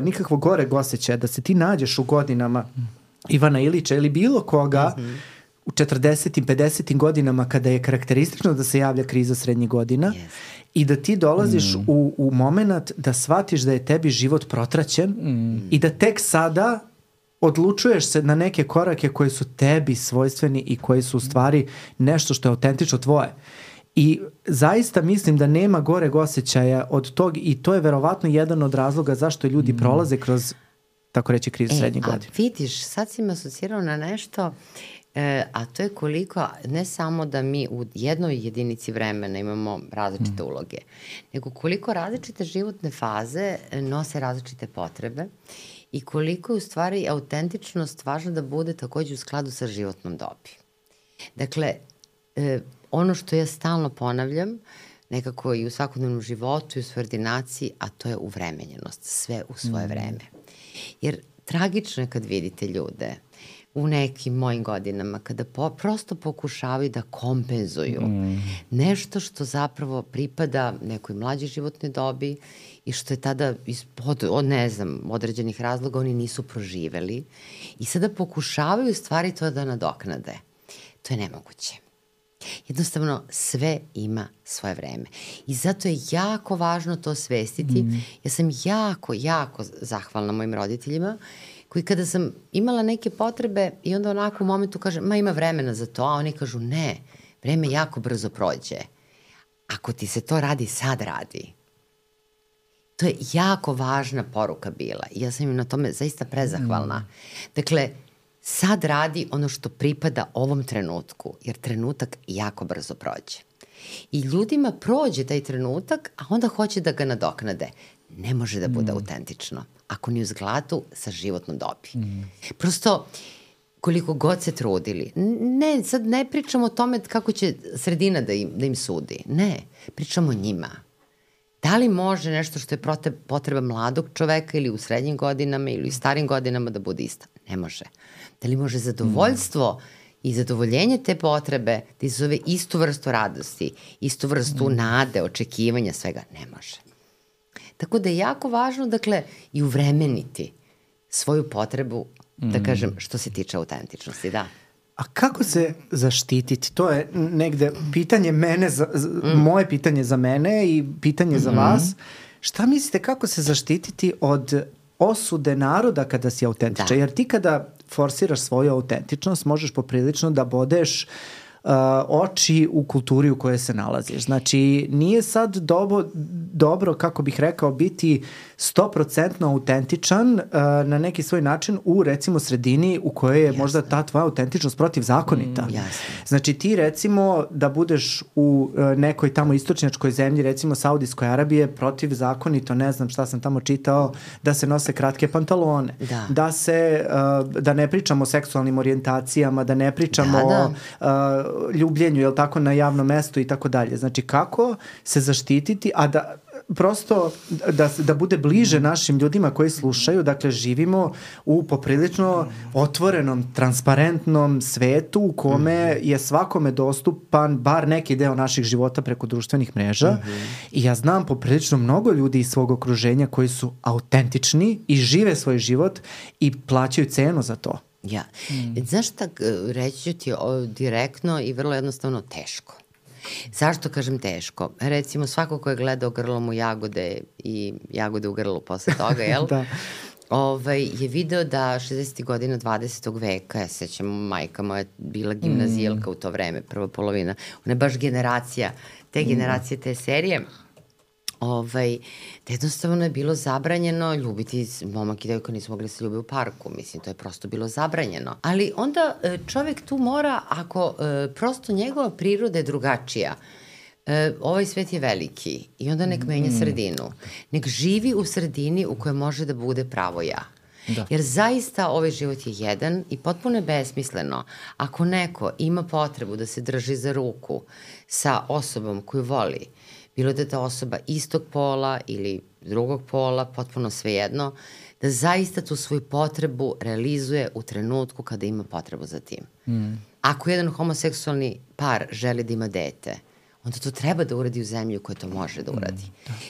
nikakvog goreg osjećaja da se ti nađeš u godinama Ivana Ilića ili bilo koga u 40. 50. godinama kada je karakteristično da se javlja kriza srednjih godina i da ti dolaziš u moment da shvatiš da je tebi život protraćen i da tek sada odlučuješ se na neke korake koji su tebi svojstveni i koji su u stvari nešto što je autentično tvoje. I zaista mislim da nema goreg osjećaja od tog i to je verovatno jedan od razloga zašto ljudi prolaze kroz, tako reći, krizu srednjih godina. A vidiš, sad si me asocirao na nešto, a to je koliko, ne samo da mi u jednoj jedinici vremena imamo različite uloge, nego koliko različite životne faze nose različite potrebe i koliko je u stvari autentičnost važna da bude takođe u skladu sa životnom dobi. Dakle, ono što ja stalno ponavljam, nekako i u svakodnevnom životu i u svojoj ordinaciji, a to je uvremenjenost, sve u svoje vreme. Jer tragično je kad vidite ljude u nekim mojim godinama, kada prosto pokušavaju da kompenzuju nešto što zapravo pripada nekoj mlađoj životnoj dobi i što je tada od određenih razloga oni nisu proživeli i sada pokušavaju stvari to da nadoknade. To je nemoguće. Jednostavno sve ima svoje vreme. I zato je jako važno to svestiti. Ja sam jako zahvalna mojim roditeljima koji kada sam imala neke potrebe i onda onako u momentu kažem, ima vremena za to, a oni kažu ne, vreme jako brzo prođe. Ako ti se to radi, sad radi. To je jako važna poruka bila i ja sam im na tome zaista prezahvalna. Dakle, sad radi ono što pripada ovom trenutku, jer trenutak jako brzo prođe. I ljudima prođe taj trenutak, a onda hoće da ga nadoknade. Ne može da bude autentično, ako ni u zgladu sa životnom dobi. Prosto, koliko god se trudili, sad ne pričamo o tome kako će sredina da im sudi. Ne, pričamo o njima. Da li može nešto što je potreba mladog čoveka ili u srednjim godinama ili u starim godinama da bude ista? Ne može. Da li može zadovoljstvo i zadovoljenje te potrebe da izazove istu vrstu radosti, istu vrstu nade, očekivanja, svega? Ne može. Tako da je jako važno, dakle, i uvremeniti svoju potrebu, da kažem, što se tiče autentičnosti, da. A kako se zaštititi? To je negde pitanje mene, moje pitanje za mene i pitanje za vas. Šta mislite kako se zaštititi od osude naroda kada si autentičan? Jer ti kada forsiraš svoju autentičnost možeš poprilično da bodeš oči u kulturi u kojoj se nalaziš. Znači, nije sad dobro, kako bih rekao, biti 100% autentičan na neki svoj način u, recimo, sredini u kojoj je možda ta tvoja autentičnost protivzakonita. Znači, ti, recimo, da budeš u nekoj tamo istočnjačkoj zemlji, recimo Saudijskoj Arabije, protivzakonito, ne znam šta sam tamo čitao, da se nose kratke pantalone. Da ne pričamo o seksualnim orijentacijama, da ne pričamo o ljubljenju, jel tako, na javnom mestu i tako dalje. Znači, kako se zaštititi, a da prosto da bude bliže našim ljudima koji slušaju. Dakle, živimo u poprilično otvorenom, transparentnom svetu u kome je svakome dostupan bar neki deo naših života preko društvenih mreža. I ja znam poprilično mnogo ljudi iz svog okruženja koji su autentični i žive svoj život i plaćaju cenu za to. Znaš šta, reći ću ti direktno i vrlo jednostavno teško. Zašto kažem teško? Recimo, svako ko je gledao Grlom u jagode i jagode u grlu posle toga, jel? Je video da 60. godina 20. veka, ja sećam, majka moja bila gimnazijalka u to vreme, prva polovina, ona je baš generacija, te serije, da jednostavno je bilo zabranjeno ljubiti, momak i devojka nisu mogli se ljubiti u parku, mislim, to je prosto bilo zabranjeno. Ali onda čovjek tu mora, ako prosto njegova priroda je drugačija, ovaj svet je veliki i onda nek menja sredinu. Nek živi u sredini u kojoj može da bude pravo ja. Jer zaista ovaj život je jedan i potpuno je besmisleno. Ako neko ima potrebu da se drži za ruku sa osobom koju voli, bilo da je ta osoba istog pola ili drugog pola, potpuno svejedno, da zaista tu svoju potrebu realizuje u trenutku kada ima potrebu za tim. Ako jedan homoseksualni par želi da ima dete, onda to treba da uradi u zemlji u kojoj to može da uradi.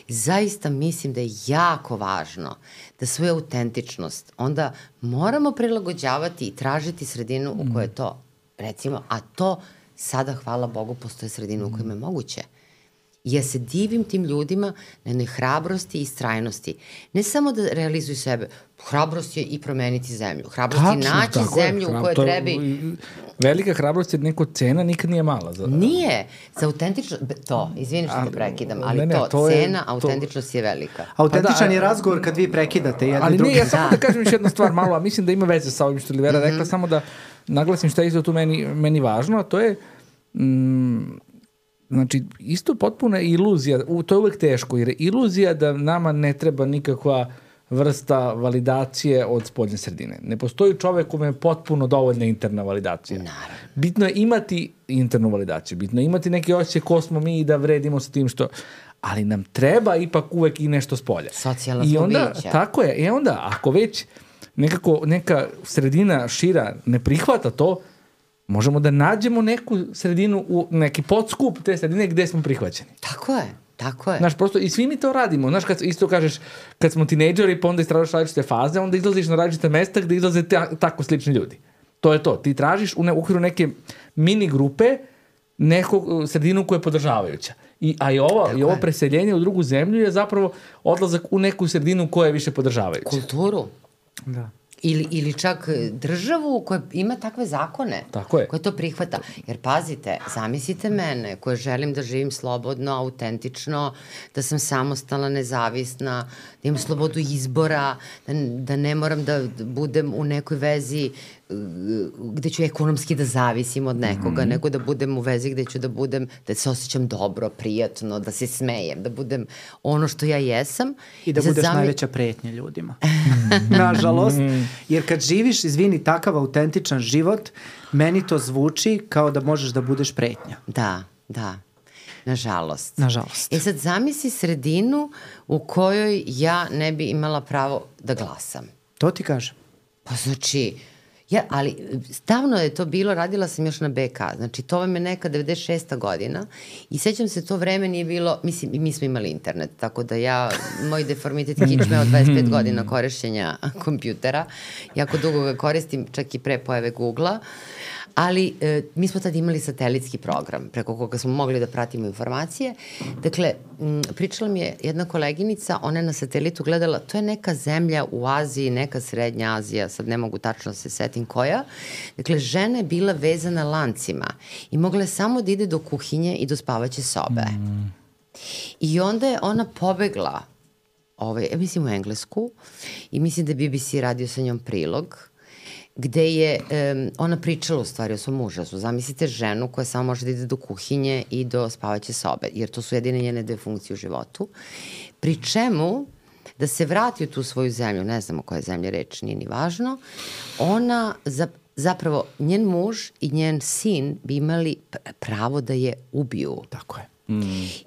Zaista mislim da je jako važno da svoju autentičnost onda moramo prilagođavati i tražiti sredinu u kojoj to, recimo, a to sada, hvala Bogu, postoje sredinu u kojoj je moguće. Ja se divim tim ljudima na jednoj hrabrosti i istrajnosti. Ne samo da realizuju sebe, hrabrost je i promeniti zemlju. Hrabrost je naći zemlju u kojoj trebi... Velika hrabrost je neko cena, nikad nije mala. Nije. Za autentičnost... To, izvini što te prekidam, ali cena, autentičnost je velika. Autentičan je razgovor kad vi prekidate jedni drugi. Ali ja samo da kažem još jednu stvar malo, a mislim da ima veze sa ovim što Olivera rekla, samo da naglasim šta je isto tu meni važno, a to je... Znači, isto potpuna iluzija, to je uvek teško, jer je iluzija da nama ne treba nikakva vrsta validacije od spoljne sredine. Ne postoji čovek kome je potpuno dovoljna interna validacija. Naravno. Bitno je imati internu validaciju, bitno je imati neki osjećaj ko smo mi i da vredimo sa tim što... Ali nam treba ipak uvek i nešto s polja. Socijalna smo bića. Tako je. I onda, ako već neka sredina šira ne prihvata to, možemo da nađemo neku sredinu, neki podskup te sredine gde smo prihvaćeni. Tako je. Znaš, prosto, i svi mi to radimo. Znaš, kad isto kažeš, kad smo tinejdžeri, pa onda istražaš različite faze, onda izlaziš na različite mesta gde izlaze tako slični ljudi. To je to. Ti tražiš u okviru neke mini grupe neku sredinu koja je podržavajuća. A i ovo preseljenje u drugu zemlju je zapravo odlazak u neku sredinu koja je više podržavajuća. Kulturu. Da. Ili čak državu koja ima takve zakone, koja to prihvata. Jer pazite, zamislite mene koja želim da živim slobodno, autentično, da sam samostalna, nezavisna, da imam slobodu izbora, da ne moram da budem u nekoj vezi gde ću ekonomski da zavisim od nekoga, nego da budem u vezi gde ću da budem, da se osjećam dobro, prijatno, da se smejem, da budem ono što ja jesam. I da budeš najveća pretnja ljudima. Nažalost. Jer kad živiš, izvini, takav autentičan život, meni to zvuči kao da možeš da budeš pretnja. Da. Nažalost. Sad zamisli sredinu u kojoj ja ne bi imala pravo da glasam. To ti kažem. Pa znači... ali stavno je to bilo, radila sam još na BK, znači to vam je neka 96. godina i sećam se to vreme nije bilo, mislim, mi smo imali internet, tako da moj deformitet kičme od 25 godina korišćenja kompjutera, jako dugo ga koristim, čak i pre pojave Google-a, Ali mi smo tad imali satelitski program preko koga smo mogli da pratimo informacije. Dakle, pričala mi je jedna koleginica, ona je na satelitu gledala, to je neka zemlja u Aziji, neka Srednja Azija, sad ne mogu tačno se setim koja. Dakle, žena je bila vezana lancima i mogla je samo da ide do kuhinje i do spavaće sobe. I onda je ona pobegla, ja mislim u Englesku, i mislim da je BBC radio sa njom prilog, gde je ona pričala u stvari o svom užasu. Zamislite ženu koja samo može da ide do kuhinje i do spavaće sobe, jer to su jedine njene dve funkcije u životu. Pri čemu, da se vrati u tu svoju zemlju, ne znamo koja je zemlja reč, nije ni važno, ona zapravo, njen muž i njen sin bi imali pravo da je ubiju. Tako je.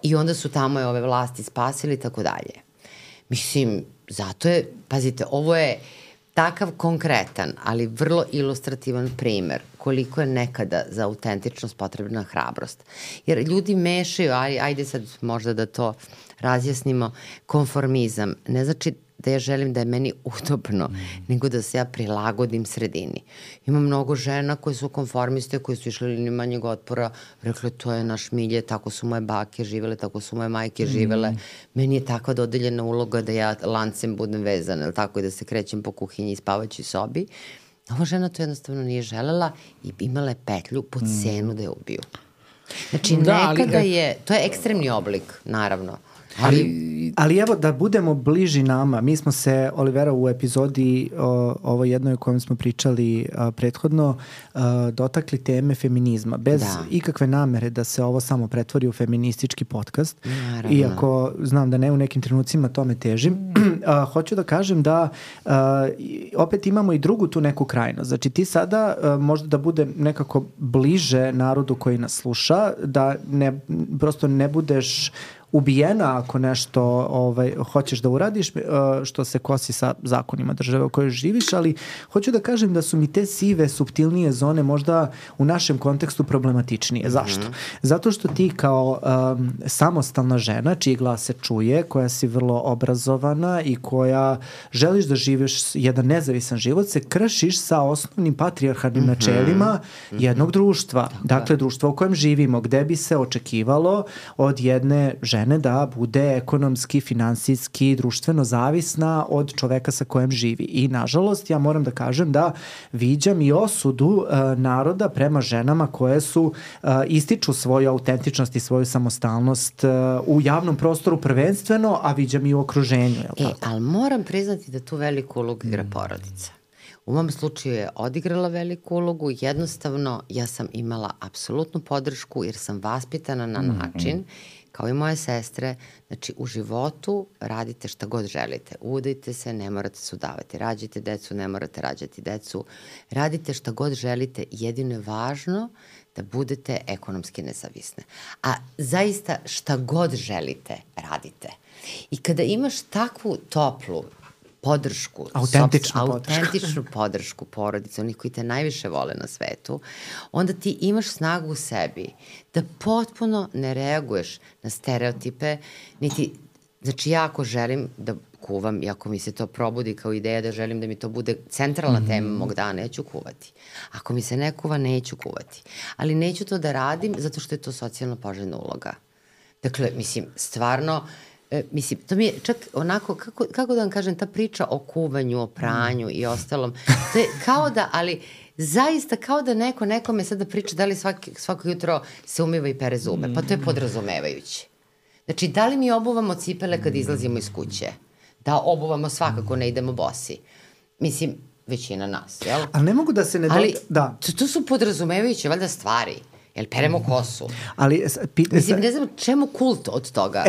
I onda su tamo ove vlasti spasili i tako dalje. Mislim, zato je, pazite, ovo je takav konkretan, ali vrlo ilustrativan primer koliko je nekada za autentičnost potrebna hrabrost. Jer ljudi mešaju, ajde sad možda da to razjasnimo, konformizam. Ne znači da ja želim da je meni udobno, nego da se ja prilagodim sredini. Ima mnogo žena koje su konformiste, koje su išle liniju manjeg otpora, rekle to je naš milje, tako su moje bake živele, tako su moje majke živele. Meni je takva dodeljena uloga da ja lancem budem vezana, ili tako, i da se krećem po kuhinji i spavaćoj sobi. Ova žena to jednostavno nije želela i imala je petlju po cenu da je ubiju. Znači, nekada je, to je ekstremni oblik, naravno. Ali evo da budemo bliži nama, mi smo se, Olivera, u epizodi ovo jednoj o kojem smo pričali prethodno, dotakli teme feminizma, bez ikakve namere da se ovo samo pretvori u feministički podcast. Naravno. Iako znam da ne u nekim trenucima tome težim. Hoću da kažem da opet imamo i drugu tu neku krajnost. Znači ti sada možda da bude nekako bliže narodu koji nas sluša, da prosto ne budeš ubijena ako nešto hoćeš da uradiš, što se kosi sa zakonima države u kojoj živiš, ali hoću da kažem da su mi te sive, suptilnije zone možda u našem kontekstu problematičnije. Zašto? Zato što ti kao samostalna žena, čiji glas se čuje, koja si vrlo obrazovana i koja želiš da živiš jedan nezavisan život, se kršiš sa osnovnim patrijarhalnim načelima jednog društva. Dakle, društva u kojem živimo, gde bi se očekivalo od jedne žene da bude ekonomski, finansijski, društveno zavisna od čoveka sa kojem živi. I nažalost, ja moram da kažem da viđam i osudu naroda prema ženama koje su ističu svoju autentičnost i svoju samostalnost u javnom prostoru prvenstveno, a viđam i u okruženju. Ali moram priznati da tu veliku ulogu igra porodica. U mom slučaju je odigrala veliku ulogu, jednostavno ja sam imala apsolutnu podršku jer sam vaspitana na način, kao i moje sestre, znači u životu radite šta god želite. Udajte se, ne morate se udavati. Rađajte decu, ne morate rađati decu. Radite šta god želite, jedino je važno da budete ekonomski nezavisne. A zaista šta god želite, radite. I kada imaš takvu toplu podršku, autentičnu podršku porodice, onih koji te najviše vole na svetu, onda ti imaš snagu u sebi da potpuno ne reaguješ na stereotipe, niti, znači ja ako želim da kuvam i ako mi se to probudi kao ideja da želim da mi to bude centralna tema mog dana, ja ću kuvati. Ako mi se ne kuva, neću kuvati. Ali neću to da radim zato što je to socijalno poželjna uloga. Dakle, mislim, stvarno, mislim, to mi je čak onako, kako da vam kažem, ta priča o kuvanju, o pranju i ostalom, to je kao da, ali zaista kao da nekome sada priča da li svako jutro se umiva i pere zube, pa to je podrazumevajuće. Znači, da li mi obuvamo cipele kad izlazimo iz kuće? Da obuvamo svakako, ne idemo bosi. Mislim, većina nas, jel? Ali ne mogu da se ne... Ali to su podrazumevajuće, valjda stvari. Jel peremo kosu? Mislim, ne znam čemu kult od toga.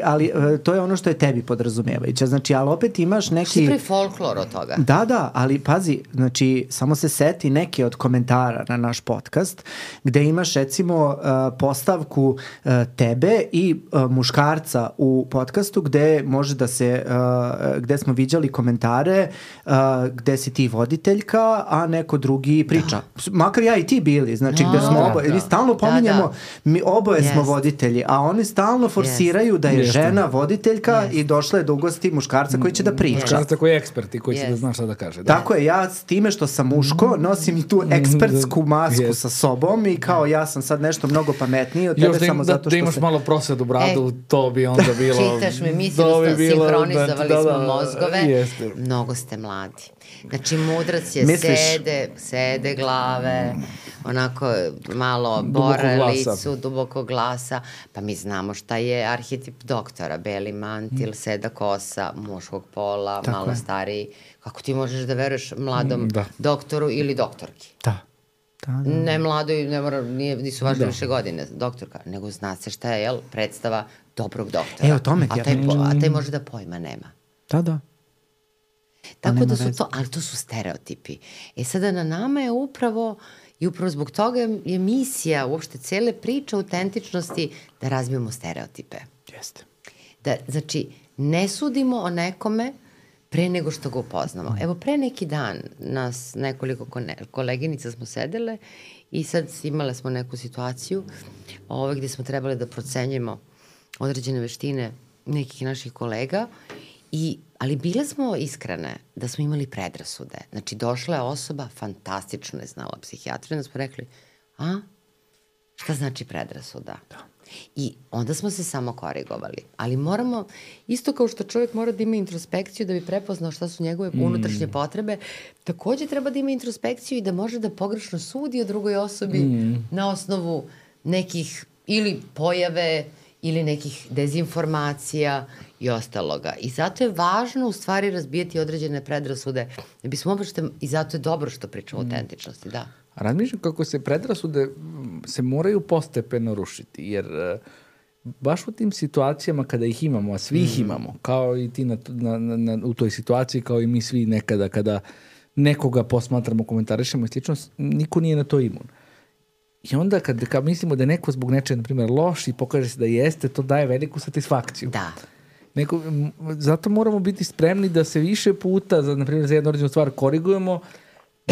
Ali to je ono što je tebi podrazumevajuće. Znači, ali opet imaš neki... Što je pre folklor od toga? Da, ali pazi, znači, samo se seti neke od komentara na naš podcast, gde imaš, recimo, postavku tebe i muškarca u podcastu, gde može da se, gde smo viđali komentare, gde si ti voditeljka, a neko drugi priča. Makar ja i ti bili, znači, gde smo vi ste stalno pominjemo, mi oboje smo voditelji, a oni stalno forsiraju da je žena voditeljka i došla je da ugosti muškarca koji će da priča. Muškarca koji je ekspert i koji će da zna šta da kaže. Tako je, ja s time što sam muško nosim i tu ekspertsku masku sa sobom i kao ja sam sad nešto mnogo pametniji od tebe samo zato što da imaš malo prosvedu bradu, to bi onda bilo... Čitaš me, mislim da smo sinhronizovali smo mozgove. Mnogo ste mladi. Znači, mudrac je sede glave, onako malo bore licu, duboko glasa. Pa mi znamo šta je arhetip doktora. Beli mantil, seda kosa, muškog pola, malo stariji. Kako ti možeš da veruješ mladom doktoru ili doktorki? Da. Ne mladoj, nisu važne više godine doktorka, nego zna se šta je, predstava dobrog doktora. O tome ti ja pričam. A taj može da pojma nema. Da. Tako da su to, ali to su stereotipi. Sada na nama je upravo, i upravo zbog toga je misija, uopšte cele priče autentičnosti, da razbijemo stereotipe. Jeste. Znači, ne sudimo o nekome pre nego što ga upoznamo. Evo, pre neki dan nas nekoliko koleginica smo sedele i sad imale smo neku situaciju gde smo trebali da procenjujemo određene veštine nekih naših kolega, ali bile smo iskrene da smo imali predrasude. Znači, došla je osoba, fantastično je znala psihijatriju, da smo rekli, šta znači predrasuda? Da. I onda smo se samo korigovali. Ali moramo, isto kao što čovjek mora da ima introspekciju da bi prepoznao šta su njegove unutrašnje potrebe, takođe treba da ima introspekciju i da može da pogrešno sudi o drugoj osobi na osnovu nekih ili pojave ili nekih dezinformacija i ostaloga. I zato je važno u stvari razbijati određene predrasude. I zato je dobro što pričamo o autentičnosti, da. A razmišljam kako se predrasude se moraju postepeno rušiti, jer baš u tim situacijama kada ih imamo, a svi ih imamo, kao i ti u toj situaciji, kao i mi svi nekada kada nekoga posmatramo, komentarišemo i slično, niko nije na to imun. I onda kad mislimo da je neko zbog nečega, na primjer, loš i pokaže se da jeste, to daje veliku satisfakciju. Da. Zato moramo biti spremni da se više puta, na primjer, za jednu određenu stvar korigujemo,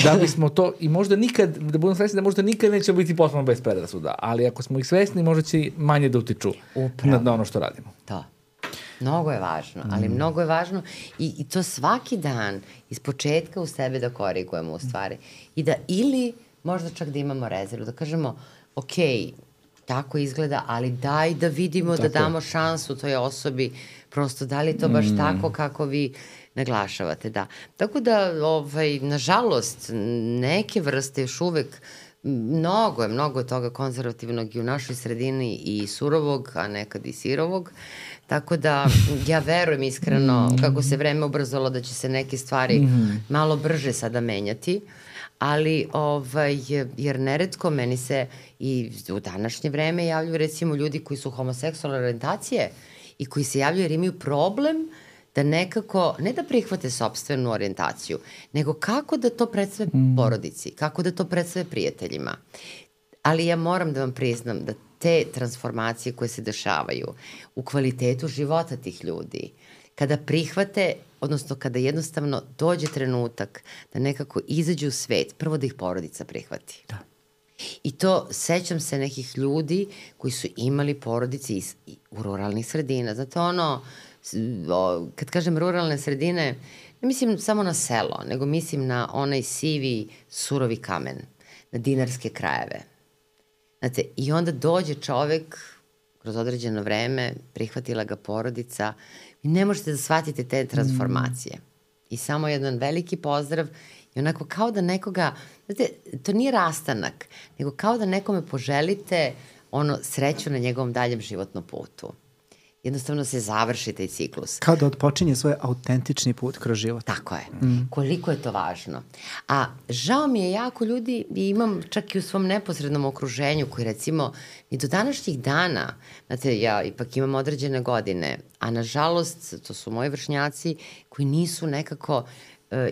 da bismo to, i možda nikad, da budemo svesni da možda nikad neće biti potpuno bez predrasuda, ali ako smo ih svesni, možda će manje da utiču na ono što radimo. Da. Mnogo je važno, ali mnogo je važno i to svaki dan iz početka u sebe da korigujemo u stvari. I da ili možda čak da imamo rezervu, da kažemo, ok, tako izgleda, ali daj da vidimo, da damo šansu toj osobi, prosto da li to baš tako kako vi naglašavate, da. Tako da, nažalost, neke vrste još uvek, mnogo je toga konzervativnog i u našoj sredini i surovog, a nekad i sirovog, tako da ja verujem iskreno kako se vreme ubrzalo da će se neke stvari malo brže sada menjati, ali, jer neretko meni se i u današnje vreme javljaju recimo ljudi koji su homoseksualne orijentacije i koji se javljaju jer imaju problem da nekako, ne da prihvate sopstvenu orijentaciju, nego kako da to predstave porodici, kako da to predstave prijateljima. Ali ja moram da vam priznam da te transformacije koje se dešavaju u kvalitetu života tih ljudi, kada prihvate, odnosno kada jednostavno dođe trenutak da nekako izađu u svet, prvo da ih porodica prihvati. Da. I to, sećam se nekih ljudi koji su imali porodice u ruralnih sredina. Znate, kad kažem ruralne sredine, ne mislim samo na selo, nego mislim na onaj sivi, surovi kamen, na dinarske krajeve. Znate, i onda dođe čovek, kroz određeno vreme, prihvatila ga porodica, i ne možete da shvatite te transformacije. I samo jedan veliki pozdrav i onako kao da nekoga, znate, to nije rastanak, nego kao da nekome poželite sreću na njegovom daljem životnom putu. Jednostavno se završi taj ciklus. Kao da odpočinje svoj autentični put kroz život. Tako je. Koliko je to važno. A žao mi je jako ljudi, i imam čak i u svom neposrednom okruženju koji recimo i do današnjih dana, znate, ja ipak imam određene godine, a nažalost to su moji vršnjaci koji nisu nekako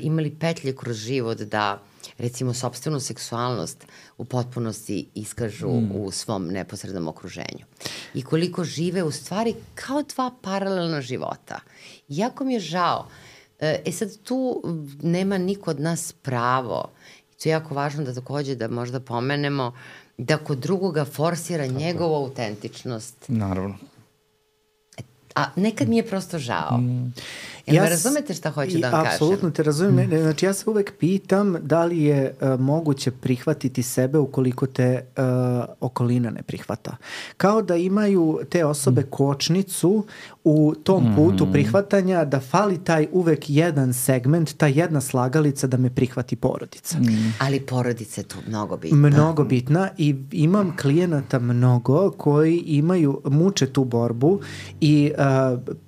imali petlje kroz život da recimo sopstvenu seksualnost u potpunosti iskažu u svom neposrednom okruženju. I koliko žive u stvari kao dva paralelna života. Jako mi je žao. Sad tu nema niko od nas pravo. I to je jako važno da takođe da možda pomenemo da kod drugoga forsira njegovu autentičnost. Naravno. A nekad mi je prosto žao. Jel me razumete šta hoću da vam kažem? Apsolutno te razumem. Znači ja se uvek pitam da li je moguće prihvatiti sebe ukoliko te okolina ne prihvata. Kao da imaju te osobe kočnicu u tom putu prihvatanja, da fali taj uvek jedan segment, ta jedna slagalica da me prihvati porodica. Ali porodica je tu mnogo bitna. Mnogo bitna i imam klijenata mnogo koji muče tu borbu i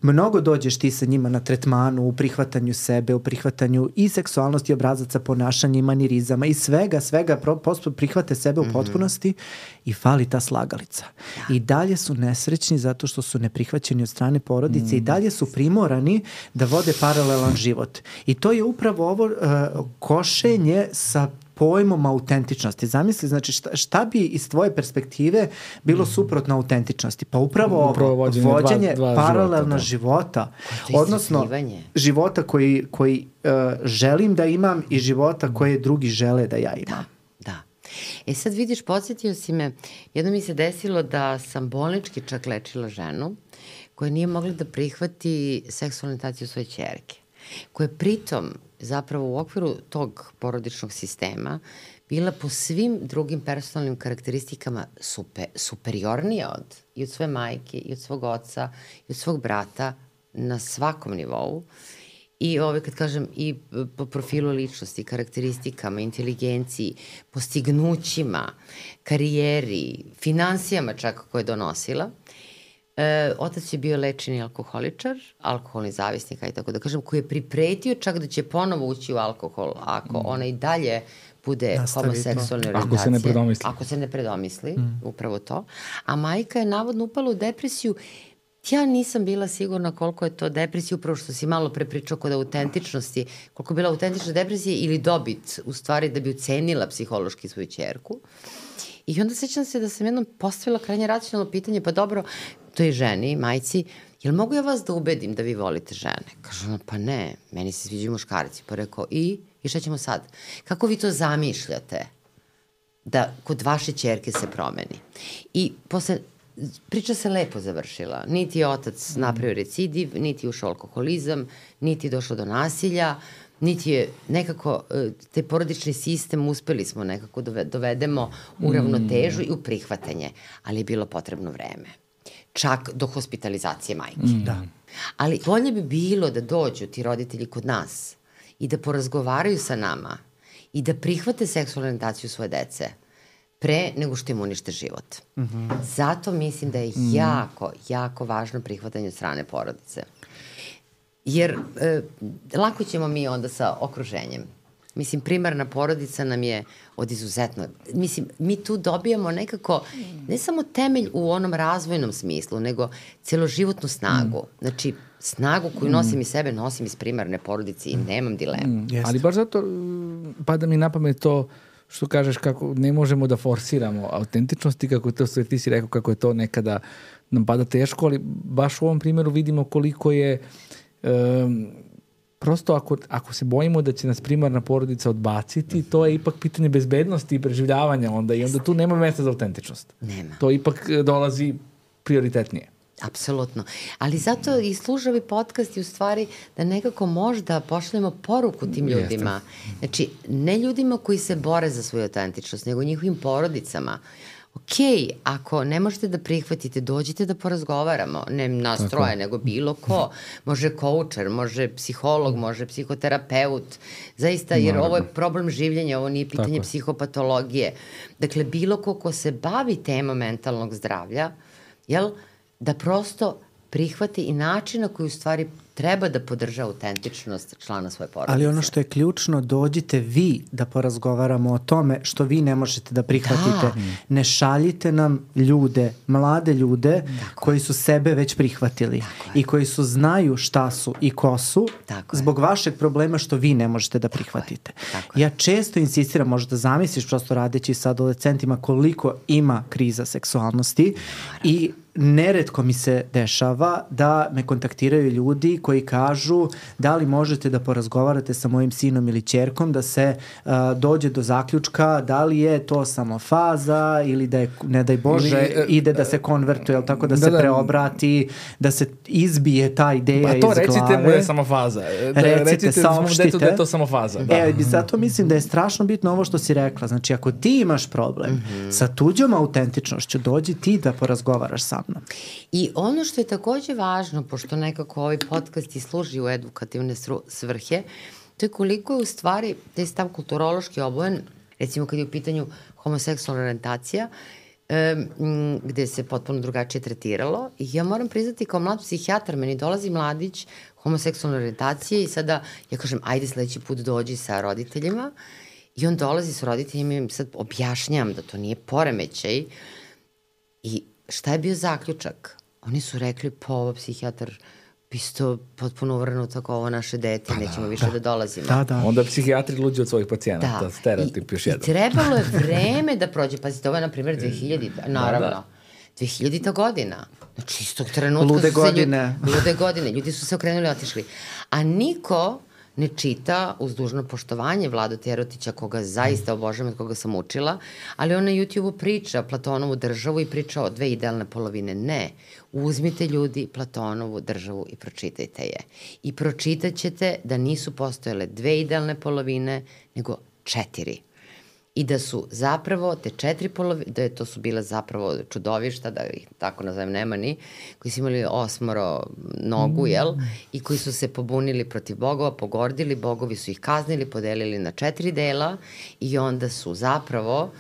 mnogo dođeš ti sa njima na tretmanu, u prihvatanju sebe, u prihvatanju i seksualnosti, obrazaca, ponašanja i manirizama i svega prihvate sebe u potpunosti i fali ta slagalica. I dalje su nesrećni zato što su neprihvaćeni od strane porodice i dalje su primorani da vode paralelan život. I to je upravo ovo košenje sa pojmom autentičnosti. Zamisli, znači šta bi iz tvoje perspektive bilo suprotno autentičnosti? Pa upravo vođenje paralelno života. Odnosno, života koji želim da imam i života koje drugi žele da ja imam. Da. Sad vidiš, podsjetio si me, jedno mi se desilo da sam bolnički čak lečila ženu koja nije mogla da prihvati seksualnu orijentaciju svoje ćerke, koja je pritom zapravo u okviru tog porodičnog sistema bila po svim drugim personalnim karakteristikama superiornija i od svoje majke, i od svog oca, i od svog brata na svakom nivou. I kad kažem i po profilu ličnosti, karakteristikama, inteligenciji, postignućima, karijeri, finansijama čak koje je donosila. Otac je bio lečeni alkoholičar, alkoholni zavisnik, i tako da kažem, koji je pripretio čak da će ponovo ući u alkohol ako ona i dalje bude homoseksualne orijentacije. Ako se ne predomisli. Ako se ne predomisli, upravo to. A majka je navodno upala u depresiju. Ja nisam bila sigurna koliko je to depresija, upravo što si malo prepričao kod autentičnosti, koliko je bila autentična depresija ili dobit, u stvari da bi ucenila psihološki svoju ćerku. I onda sećam se da sam jednom postavila krajnje racionalno pitanje, pa dobro, to je ženi, majci, jel mogu ja vas da ubedim da vi volite žene? Kaže ona, pa ne, meni se sviđaju muškarci. Pa rekao, i šta ćemo sad? Kako vi to zamišljate da kod vaše ćerke se promeni? I posle, priča se lepo završila. Niti je otac napravio recidiv, niti je ušao alkoholizam, niti je došlo do nasilja, niti je nekako taj porodični sistem uspeli smo nekako dovedemo u ravnotežu i u prihvatanje, ali je bilo potrebno vreme. Čak do hospitalizacije majke. Da. Ali bolje bi bilo da dođu ti roditelji kod nas i da porazgovaraju sa nama i da prihvate seksualnu orijentaciju svoje dece pre nego što im unište život. Zato mislim da je jako, jako važno prihvatanje od strane porodice. Jer lako ćemo mi onda sa okruženjem. Mislim, primarna porodica nam je od izuzetno... Mislim, mi tu dobijamo nekako, ne samo temelj u onom razvojnom smislu, nego celoživotnu snagu. Znači, snagu koju nosim iz sebe, nosim iz primarne porodice i nemam dilemu. Ali baš zato pada mi na pamet to što kažeš kako ne možemo da forsiramo autentičnost i kako to sve ti si rekao kako je to nekada nam pada teško, ali baš u ovom primjeru vidimo koliko je prosto ako se bojimo da će nas primarna porodica odbaciti, to je ipak pitanje bezbednosti i preživljavanja onda i onda tu nema mesta za autentičnost. Nema. To ipak dolazi prioritetnije. Apsolutno. Ali zato i služa ovi podcasti u stvari da nekako možda pošaljemo poruku tim ljudima. Znači, ne ljudima koji se bore za svoju autentičnost, nego njihovim porodicama. Ako ne možete da prihvatite, dođite da porazgovaramo. Ne nas troje, nego bilo ko. Može koučer, može psiholog, može psihoterapeut. Zaista, jer ovo je problem življenja, ovo nije pitanje psihopatologije. Dakle, bilo ko se bavi temom mentalnog zdravlja, da prosto prihvati i način na koji u stvari treba da podrža autentičnost člana svoje porodice. Ali ono što je ključno, dođite vi da porazgovaramo o tome što vi ne možete da prihvatite. Da. Ne šaljite nam ljude, mlade ljude koji su sebe već prihvatili i koji znaju šta su i ko su zbog vašeg problema što vi ne možete da prihvatite. Ja često insistiram, možda zamisliš prosto radeći sa adolescentima koliko ima kriza seksualnosti i neretko mi se dešava da me kontaktiraju ljudi koji kažu da li možete da porazgovarate sa mojim sinom ili ćerkom da se dođe do zaključka da li je to samo faza ili da je, ne daj Bože, ide da se konvertuje, jel tako, da se preobrati, da se izbije ta ideja iz glave. Pa to recite mu je samo faza. Recite, saopštite. Da je to samo faza. Da. Zato mislim da je strašno bitno ovo što si rekla. Znači, ako ti imaš problem sa tuđom autentičnošću, dođi ti da porazgovaraš sa mnom. I ono što je takođe važno, pošto nekako ovaj podcast i služi u edukativne svrhe, to je koliko je u stvari taj stav kulturološki obojen, recimo kad je u pitanju homoseksualna orijentacija, gde se potpuno drugačije tretiralo. I ja moram priznati, kao mlad psihijatar, meni dolazi mladić homoseksualne orijentacije i sada ja kažem, ajde sledeći put dođi sa roditeljima, i on dolazi sa roditeljima i im sad objašnjam da to nije poremećaj. I šta je bio zaključak? Oni su rekli, pa ovo psihijatar isto potpuno uvrnuto kao ovo naše dete, nećemo više da dolazimo. Onda psihijatri luđi od svojih pacijenata, stereotip još jedan. I trebalo je vreme da prođe, pazite, ovo je na primjer 2000, naravno, 2000. godina. Znači, istog trenutka lude godine. Lude godine, ljudi su se okrenuli i otišli. A niko ne čita, uz dužno poštovanje, Vladu Terotića, koga zaista obožavam, od koga sam učila, ali on na YouTube-u priča Platonovu državu i priča o 2 idealne polovine. Ne, uzmite ljudi Platonovu državu i pročitajte je. I pročitat ćete da nisu postojale 2 idealne polovine, nego 4. I da su zapravo te 4 polovine, da to su bile zapravo čudovišta, da ih tako nazovem nemani, koji su imali 8 nogu, jel? I koji su se pobunili protiv bogova, pogordili, bogovi su ih kaznili, podelili na 4 dela i onda su zapravo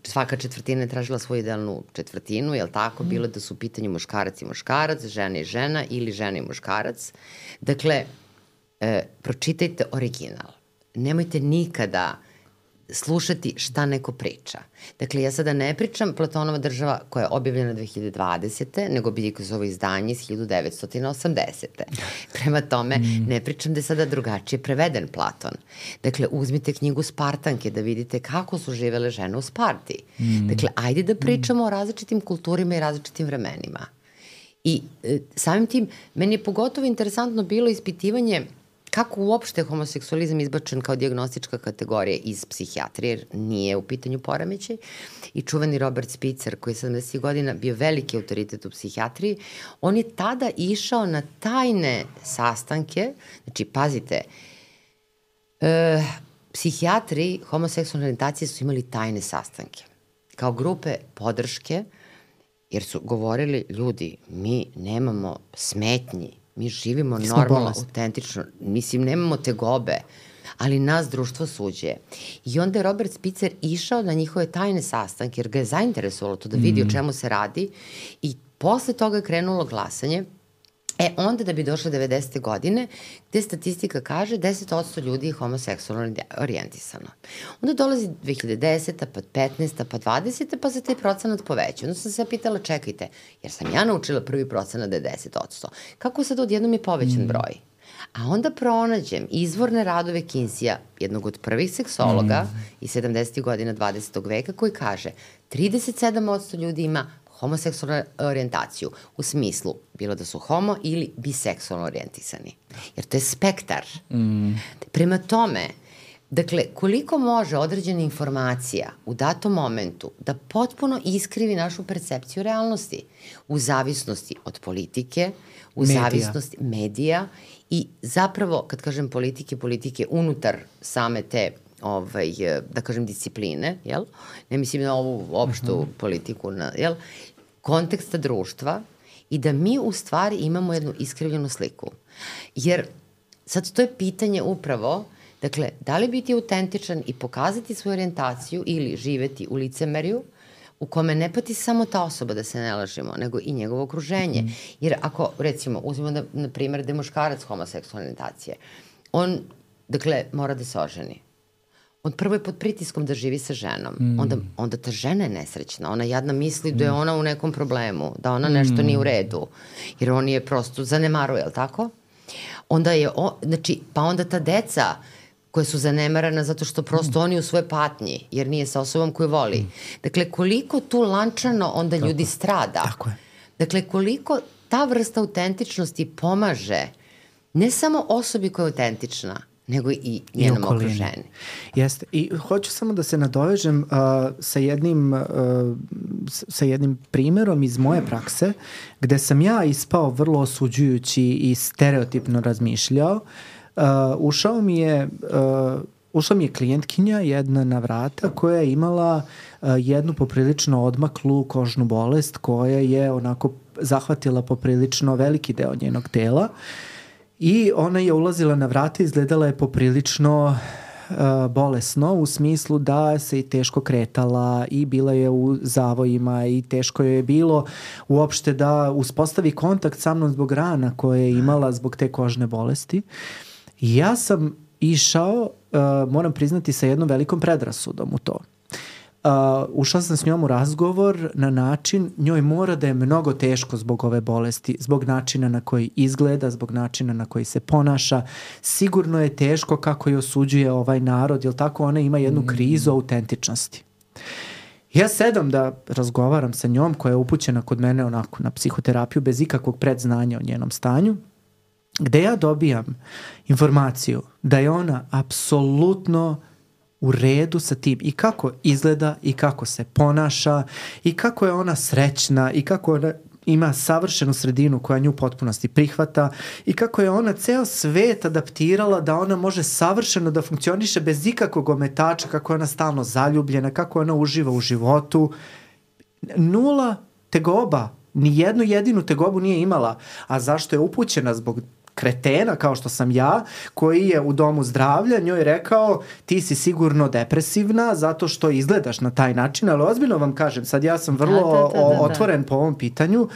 svaka četvrtina je tražila svoju idealnu četvrtinu, jel tako? Bilo da su u pitanju muškarac i muškarac, žena i žena ili žena i muškarac. Dakle, pročitajte original. Nemojte nikada slušati šta neko priča. Dakle, ja sada ne pričam Platonova država koja je objavljena 2020. nego Bidikozovo izdanje iz 1980. Prema tome, ne pričam da je sada drugačije preveden Platon. Dakle, uzmite knjigu Spartanke da vidite kako su živele žene u Sparti. Dakle, ajde da pričamo o različitim kulturima i različitim vremenima. I samim tim, meni je pogotovo interesantno bilo ispitivanje kako uopšte homoseksualizam izbačen kao dijagnostička kategorija iz psihijatrije, jer nije u pitanju poremećaj. I čuveni Robert Spitzer, koji je 70. godina bio veliki autoritet u psihijatriji, on je tada išao na tajne sastanke, znači, pazite, psihijatri homoseksualne orijentacije su imali tajne sastanke, kao grupe podrške, jer su govorili, ljudi, mi nemamo smetnji, mi živimo normalno, autentično, mislim, nemamo tegobe, ali nas društvo suđe. I onda je Robert Spitzer išao na njihove tajne sastanke, jer ga je zainteresovalo to da vidi o čemu se radi, i posle toga je krenulo glasanje. Onda da bi došle 90. godine, gde statistika kaže 10% ljudi je homoseksualno orijentisano. Onda dolazi 2010. pa 15. pa 20. pa se taj procenat poveća. Onda sam se pitala, čekajte, jer sam ja naučila prvi procenat da je 10%. Kako sad odjednom je povećan broj? A onda pronađem izvorne radove Kinsija, jednog od prvih seksologa iz 70. godina 20. veka, koji kaže 37% ljudi ima homoseksualnu orijentaciju, u smislu bilo da su homo ili biseksualno orijentisani. Jer to je spektar. Prema tome, dakle, koliko može određena informacija u datom momentu da potpuno iskrivi našu percepciju realnosti u zavisnosti od politike, u zavisnosti medija i zapravo, kad kažem politike unutar same te da kažem discipline, jel? Ne mislim na ovu opštu politiku, jel? Konteksta društva, i da mi u stvari imamo jednu iskrivljenu sliku. Jer sad to je pitanje upravo, dakle, da li biti autentičan i pokazati svoju orijentaciju ili živeti u licemerju u kome ne pati samo ta osoba, da se ne lažemo, nego i njegovo okruženje. Jer ako, recimo, uzmemo na primjer da je muškarac homoseksualne orijentacije, on, dakle, mora da se oženi. On prvo je pod pritiskom da živi sa ženom. Onda ta žena je nesrećna. Ona jadna misli da je ona u nekom problemu, da ona nešto nije u redu. Jer on je prosto zanemaruje, je li tako? Onda je, znači, pa onda ta deca koja su zanemarana zato što prosto oni u svoje patnji, jer nije sa osobom koju voli. Dakle, koliko tu lančano onda ljudi strada. Tako je. Dakle, koliko ta vrsta autentičnosti pomaže ne samo osobi koja je autentična, nego i njenom okruženju. Jeste. I hoću samo da se nadovežem sa jednim primerom iz moje prakse, gde sam ja ispao vrlo osuđujući i stereotipno razmišljao. Ušao mi je klijentkinja jedna na vrata koja je imala jednu poprilično odmaklu kožnu bolest koja je onako zahvatila poprilično veliki deo njenog tela. I ona je ulazila na vrata, izgledala je poprilično bolesno u smislu da se i teško kretala i bila je u zavojima i teško je bilo uopšte da uspostavi kontakt sa mnom zbog rana koje je imala zbog te kožne bolesti. I ja sam išao, moram priznati, sa jednom velikom predrasudom u to. Ušao sam s njom u razgovor na način, njoj mora da je mnogo teško zbog ove bolesti, zbog načina na koji izgleda, zbog načina na koji se ponaša. Sigurno je teško kako je osuđuje ovaj narod, jer tako ona ima jednu krizu autentičnosti. Ja sedam da razgovaram sa njom koja je upućena kod mene onako na psihoterapiju bez ikakvog predznanja o njenom stanju, gde ja dobijam informaciju da je ona apsolutno u redu sa tim i kako izgleda i kako se ponaša i kako je ona srećna i kako ona ima savršenu sredinu koja nju u potpunosti prihvata i kako je ona ceo svet adaptirala da ona može savršeno da funkcioniše bez ikakvog ometača, kako je ona stalno zaljubljena, kako ona uživa u životu. Nula tegoba, ni jednu jedinu tegobu nije imala. A zašto je upućena? Zbog kretena kao što sam ja, koji je u domu zdravlja njoj rekao ti si sigurno depresivna zato što izgledaš na taj način, ali ozbiljno vam kažem, sad ja sam vrlo otvoren po ovom pitanju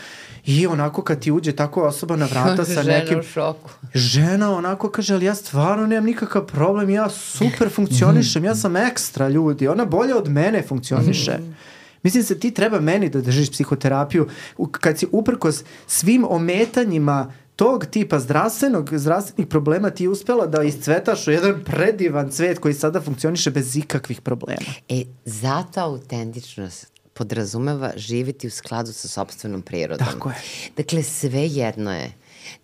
i onako kad ti uđe tako osoba na vrata sa nekim... Žena u šoku. Žena onako kaže, ali ja stvarno nemam nikakav problem, ja super funkcionišem, ja sam ekstra ljudi, ona bolje od mene funkcioniše. Mislim se ti treba meni da držiš psihoterapiju kad si uprkos svim ometanjima tog tipa zdravstvenih problema ti je uspela da iscvetaš u jedan predivan cvet koji sada funkcioniše bez ikakvih problema. Zato autentičnost podrazumeva živjeti u skladu sa sopstvenom prirodom. Tako je. Dakle, sve jedno je.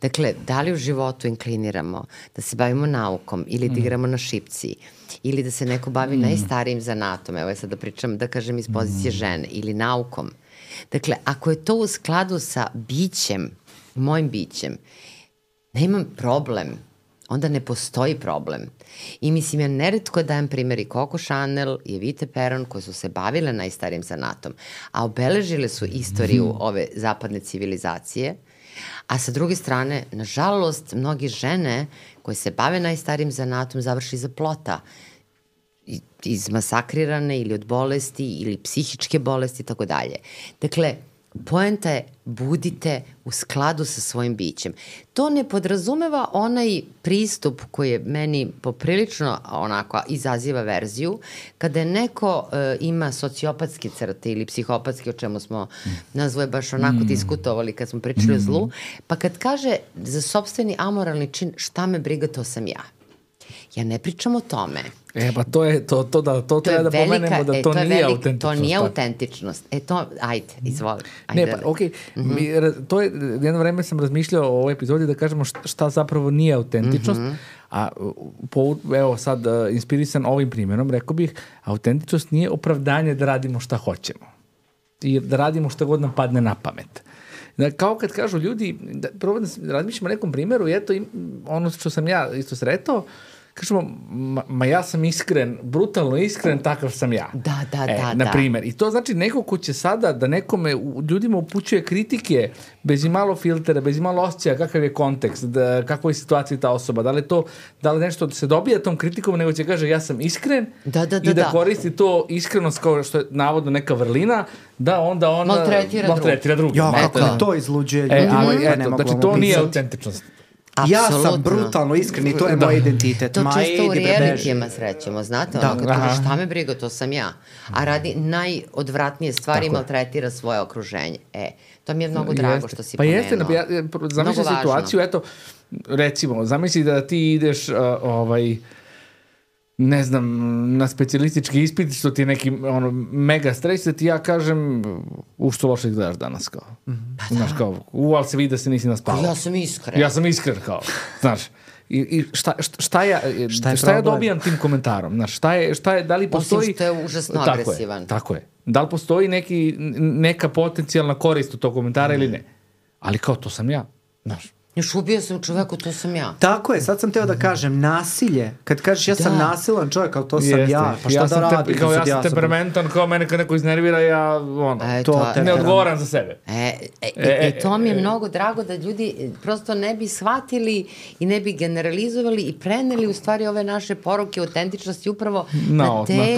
Dakle, da li u životu inkliniramo da se bavimo naukom ili da igramo na šipci ili da se neko bavi najstarijim zanatom, evo je sad da pričam, da kažem iz pozicije žene, ili naukom. Dakle, ako je to u skladu sa bićem, mojim bićem, nemam problem, onda ne postoji problem. I mislim, ja neretko dajem primjer i Coco Chanel i Evite Perron koje su se bavile najstarijim zanatom, a obeležile su istoriju ove zapadne civilizacije, a sa druge strane, nažalost, mnogi žene koje se bave najstarijim zanatom završi iza plota, izmasakrirane ili od bolesti ili psihičke bolesti i tako dalje. Dakle, poenta je budite u skladu sa svojim bićem. To ne podrazumeva onaj pristup koji je meni poprilično onako izaziva verziju, kada je neko ima sociopatske crte ili psihopatske, o čemu smo nazvoje baš onako diskutovali kad smo pričali o zlu, pa kad kaže za sopstveni amoralni čin šta me briga, to sam ja. Ja ne pričam o tome. Pa to je to treba da pomenemo da to nije autentičnost. To nije autentičnost. Ajde, izvoli. Okej. To je, jedno vreme sam razmišljao o ovoj epizodi da kažemo šta zapravo nije autentičnost, a evo sad inspirisan ovim primjerom, rekao bih, autentičnost nije opravdanje da radimo šta hoćemo i da radimo šta god nam padne na pamet. Kao kad kažu ljudi, prvo da razmišljamo o nekom primjeru i eto ono što sam ja isto sretao, kažemo, ja sam iskren, brutalno iskren, takav sam ja. Da. Na primjer. I to znači neko ko će sada da nekome, ljudima upućuje kritike bez i malo filtera, bez i malo osjećaja, kakav je kontekst, kakva je situacija ta osoba, da li nešto se dobija tom kritikom, nego će kaže ja sam iskren i da koristi to iskrenost kao što je navodno neka vrlina, da onda on maltretira drugi. Ja, kako to izluđuje. Znači to nije autentičnost. Ja sam brutalno iskren i to je moj identitet. To često u realitijama srećemo, znate, ono kad kažeš šta me briga, to sam ja. A radi najodvratnije stvari i maltretira svoje okruženje. To mi je mnogo drago što si pomenuo. Pa jeste, zamisli situaciju, eto, recimo, zamisli da ti ideš ne znam, na specijalistički ispit, što ti je neki mega stres, da ti ja kažem, što loše gledaš danas, kao. Znaš, kao, ali se vidi da se nisi naspavao. Ja sam iskren. Ja sam iskren, kao, znaš. I šta ja dobijam tim komentarom? Znaš, šta je, da li postoji... Osim što je užasno agresivan. Tako je. Da li postoji neka potencijalna korist u tog komentara ili ne? Ali kao, to sam ja, znaš. Još ubio sam čoveku, to sam ja. Tako je, sad sam teo da kažem, nasilje. Kad kažeš ja sam nasilan čovjek, ali to sam ja. Pa šta da radim? Ja sam temperamentan, kao mene kad neko iznervira, ja ne odgovaram za sebe. To mi je mnogo drago da ljudi prosto ne bi shvatili i ne bi generalizovali i preneli u stvari ove naše poruke autentičnosti upravo na te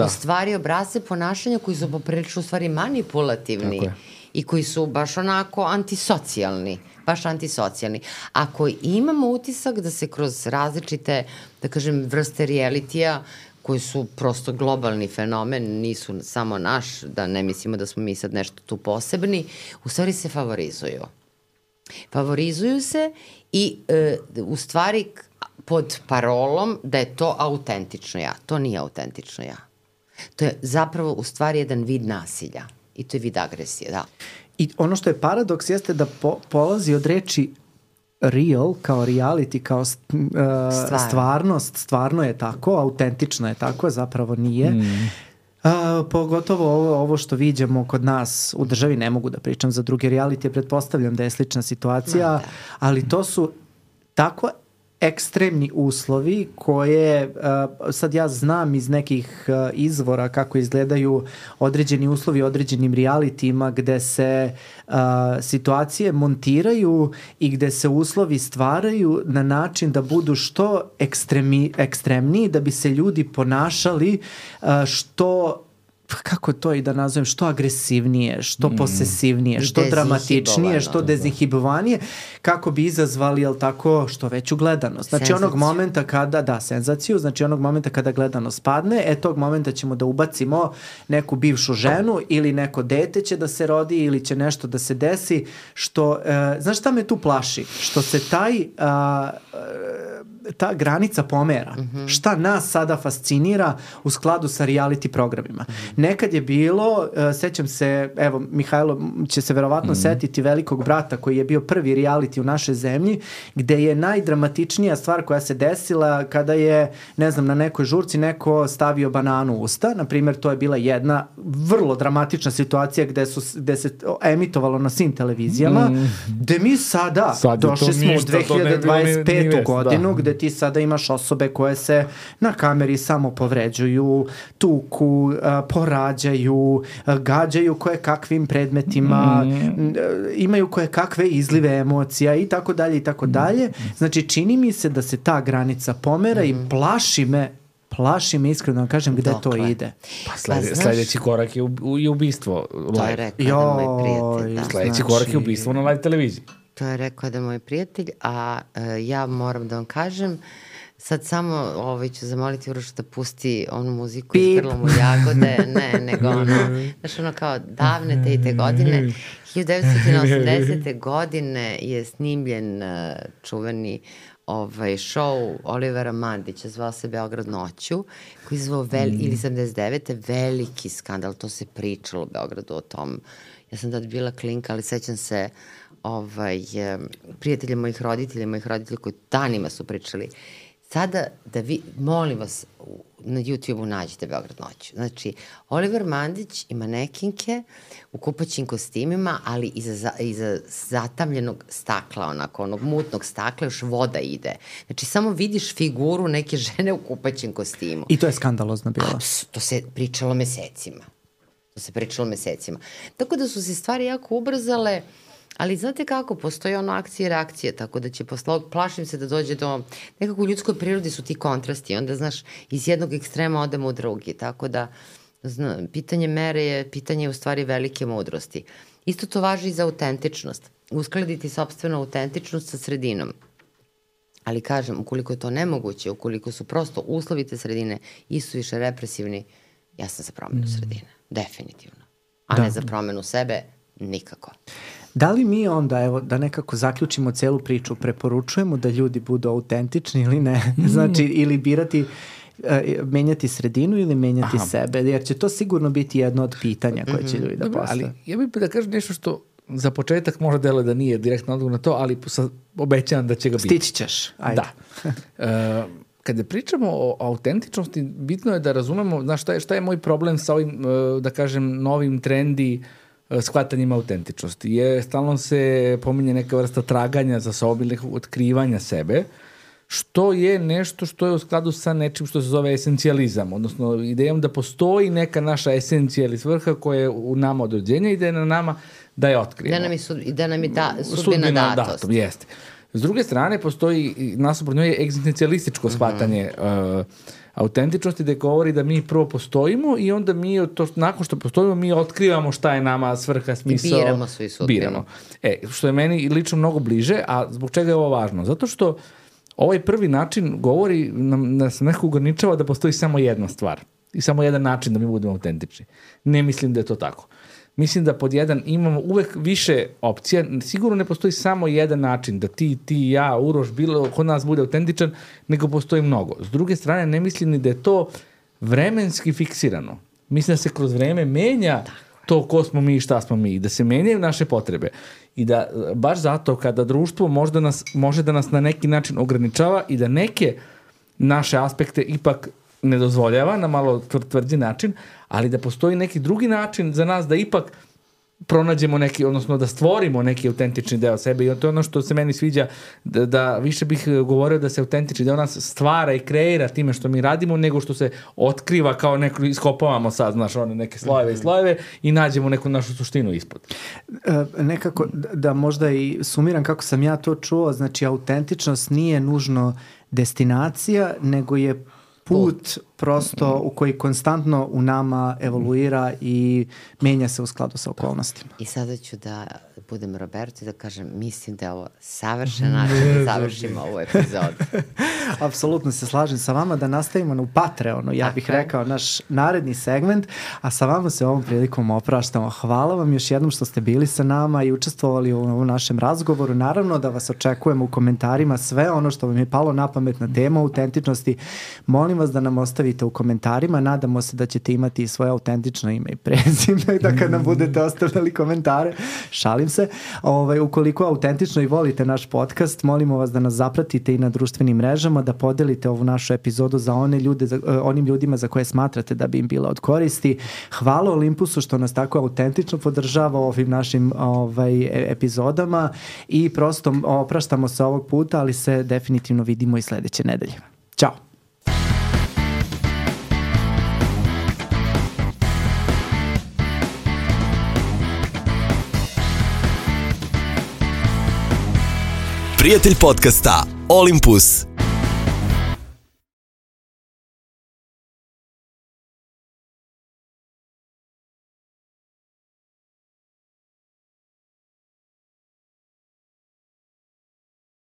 u stvari obrasce ponašanja koji su poprilično u stvari manipulativni i koji su baš onako antisocijalni. Baš antisocijalni. Ako imamo utisak da se kroz različite, da kažem, vrste realitija, koji su prosto globalni fenomen, nisu samo naš, da ne mislimo da smo mi sad nešto tu posebni, u stvari se favorizuju. Favorizuju se i u stvari pod parolom da je to autentično ja. To nije autentično ja. To je zapravo u stvari jedan vid nasilja. I to je vid agresije, da. I ono što je paradoks jeste da polazi od reči real, kao reality, kao stvarnost, stvarno je tako, autentično je tako, zapravo nije. Pogotovo ovo što viđamo kod nas u državi, ne mogu da pričam za druge reality, pretpostavljam da je slična situacija, ali to su tako ekstremni uslovi koje, sad ja znam iz nekih izvora kako izgledaju određeni uslovi određenim realitijima gde se situacije montiraju i gde se uslovi stvaraju na način da budu što ekstremniji, da bi se ljudi ponašali što, kako to i da nazovem, što agresivnije, što posesivnije, što dramatičnije, što dezinhibovanije, kako bi izazvali, jel tako, što veću gledanost. Znači onog momenta kada, senzaciju, znači onog momenta kada gledanost padne, tog momenta ćemo da ubacimo neku bivšu ženu ili neko dete će da se rodi ili će nešto da se desi, što, znaš šta me tu plaši? Što se ta granica pomera. Šta nas sada fascinira u skladu sa reality programima. Nekad je bilo, sećam se, evo, Mihajlo će se verovatno setiti Velikog brata koji je bio prvi reality u našoj zemlji, gde je najdramatičnija stvar koja se desila kada je, ne znam, na nekoj žurci neko stavio bananu u usta. Naprimjer, to je bila jedna vrlo dramatična situacija gde se emitovalo na svim televizijama, gde mi sada došli smo u 2025. godinu, gde ti sada imaš osobe koje se na kameri samo povređuju, tuku, porađaju, gađaju koje kakvim predmetima, imaju koje kakve izlive emocija i tako dalje i tako dalje. Znači, čini mi se da se ta granica pomera i plaši me iskreno da kažem gde to ide. Sledeći korak je ubistvo. To je rekao da moj prijatelj. Sledeći korak je ubistvo na live televiziji. To je rekao da moj prijatelj, a ja moram da vam kažem, sad samo ću zamoliti Urošu da pusti onu muziku iz Grlom u jagode, nego znaš ono kao davne te i te godine. 1980. godine je snimljen čuveni show Olivera Mandića, zvao se Beograd noću, koji je zvao, ili 79. veliki skandal, to se pričalo u Beogradu o tom. Ja sam tad bila klinka, ali sećam se prijatelja mojih roditelja koji danima su pričali. Sada da vi, molim vas, na YouTube-u nađete Beograd noću. Znači, Oliver Mandić i manekinke u kupaćim kostimima, ali iza zatamljenog stakla, onako, onog mutnog stakla, još voda ide. Znači, samo vidiš figuru neke žene u kupaćim kostimu. I to je skandalozno bilo. To se pričalo mesecima. Tako da su se stvari jako ubrzale, ali znate kako, postoji ono akcije i reakcije, tako da će plašim se da dođe do, nekako u ljudskoj prirodi su ti kontrasti, onda znaš, iz jednog ekstrema odemo u drugi, tako da pitanje mere je pitanje u stvari velike mudrosti. Isto to važi i za autentičnost, uskladiti sopstvenu autentičnost sa sredinom. Ali kažem, ukoliko je to nemoguće, ukoliko su prosto uslovi te sredine isuviše represivni, ja sam za promenu sredine, definitivno. A ne za promenu sebe, nikako. Da li mi onda, evo, da nekako zaključimo celu priču, preporučujemo da ljudi budu autentični ili ne? Znači, ili birati menjati sredinu ili menjati sebe, jer će to sigurno biti jedno od pitanja koje će ljudi da postave. Ali ja bih da kažem nešto što za početak možda deluje da nije direktno odgovor na to, ali obećavam da će ga biti. Stići ćeš, ajde. Da. Kada pričamo o autentičnosti, bitno je da razumemo šta je moj problem sa ovim, da kažem, novim trendi shvatanjima autentičnosti. Stalno se pominje neka vrsta traganja za sobom ili otkrivanja sebe, što je nešto što je u skladu sa nečim što se zove esencijalizam, odnosno idejom da postoji neka naša esencija ili svrha koja je u nama od rođenja i da je na nama da je otkrijemo. Da nam je sudbina datost. Jeste. S druge strane, postoji nasuprot njoj egzistencijalističko shvatanje autentičnosti, da govori da mi prvo postojimo i onda mi, nakon što postojimo, mi otkrivamo šta je nama svrha, smisao. I biramo svi sudbinu. Što je meni lično mnogo bliže, a zbog čega je ovo važno? Zato što ovaj prvi način govori, nas nekako ograničava da postoji samo jedna stvar i samo jedan način da mi budemo autentični. Ne mislim da je to tako. Mislim da pod jedan imamo uvek više opcija, sigurno ne postoji samo jedan način da ti, ja, Uroš, bilo kod nas bude autentičan, nego postoji mnogo. S druge strane, ne mislim ni da je to vremenski fiksirano. Mislim da se kroz vreme menja to ko smo mi i šta smo mi, da se menjaju naše potrebe i da baš zato kada društvo može da nas na neki način ograničava i da neke naše aspekte ipak ne dozvoljava na malo tvrđi način, ali da postoji neki drugi način za nas da ipak pronađemo neki, odnosno da stvorimo neki autentični deo sebe i to je ono što se meni sviđa, da više bih govorio da se autentični deo nas stvara i kreira time što mi radimo, nego što se otkriva kao neko, iskopavamo sad, znaš, one neke slojeve i slojeve i nađemo neku našu suštinu ispod. Nekako da možda i sumiram kako sam ja to čuo, znači autentičnost nije nužno destinacija, nego je put prosto u koji konstantno u nama evoluira i menja se u skladu sa okolnostima. I sada ću da budem Roberto i da kažem, mislim da je ovo savršen način da završimo ovu epizodu. Apsolutno se slažem sa vama, da nastavimo u Patreonu, ja bih rekao, naš naredni segment, a sa vama se ovom prilikom opraštamo. Hvala vam još jednom što ste bili sa nama i učestvovali u našem razgovoru. Naravno da vas očekujemo u komentarima sve ono što vam je palo na pamet na temu autentičnosti. Molim vas da nam ostavite u komentarima. Nadamo se da ćete imati svoje autentično ime i prezime, da kad nam budete ostavljali komentare. Šalim se. Ukoliko autentično i volite naš podcast, molimo vas da nas zapratite i na društvenim mrežama, da podelite ovu našu epizodu za onim ljudima za koje smatrate da bi im bila od koristi. Hvala Olimpusu što nas tako autentično podržava ovim našim epizodama i prosto opraštamo se ovog puta, ali se definitivno vidimo i sledeće nedelje. Ćao! Prijatelj podcasta Olympus.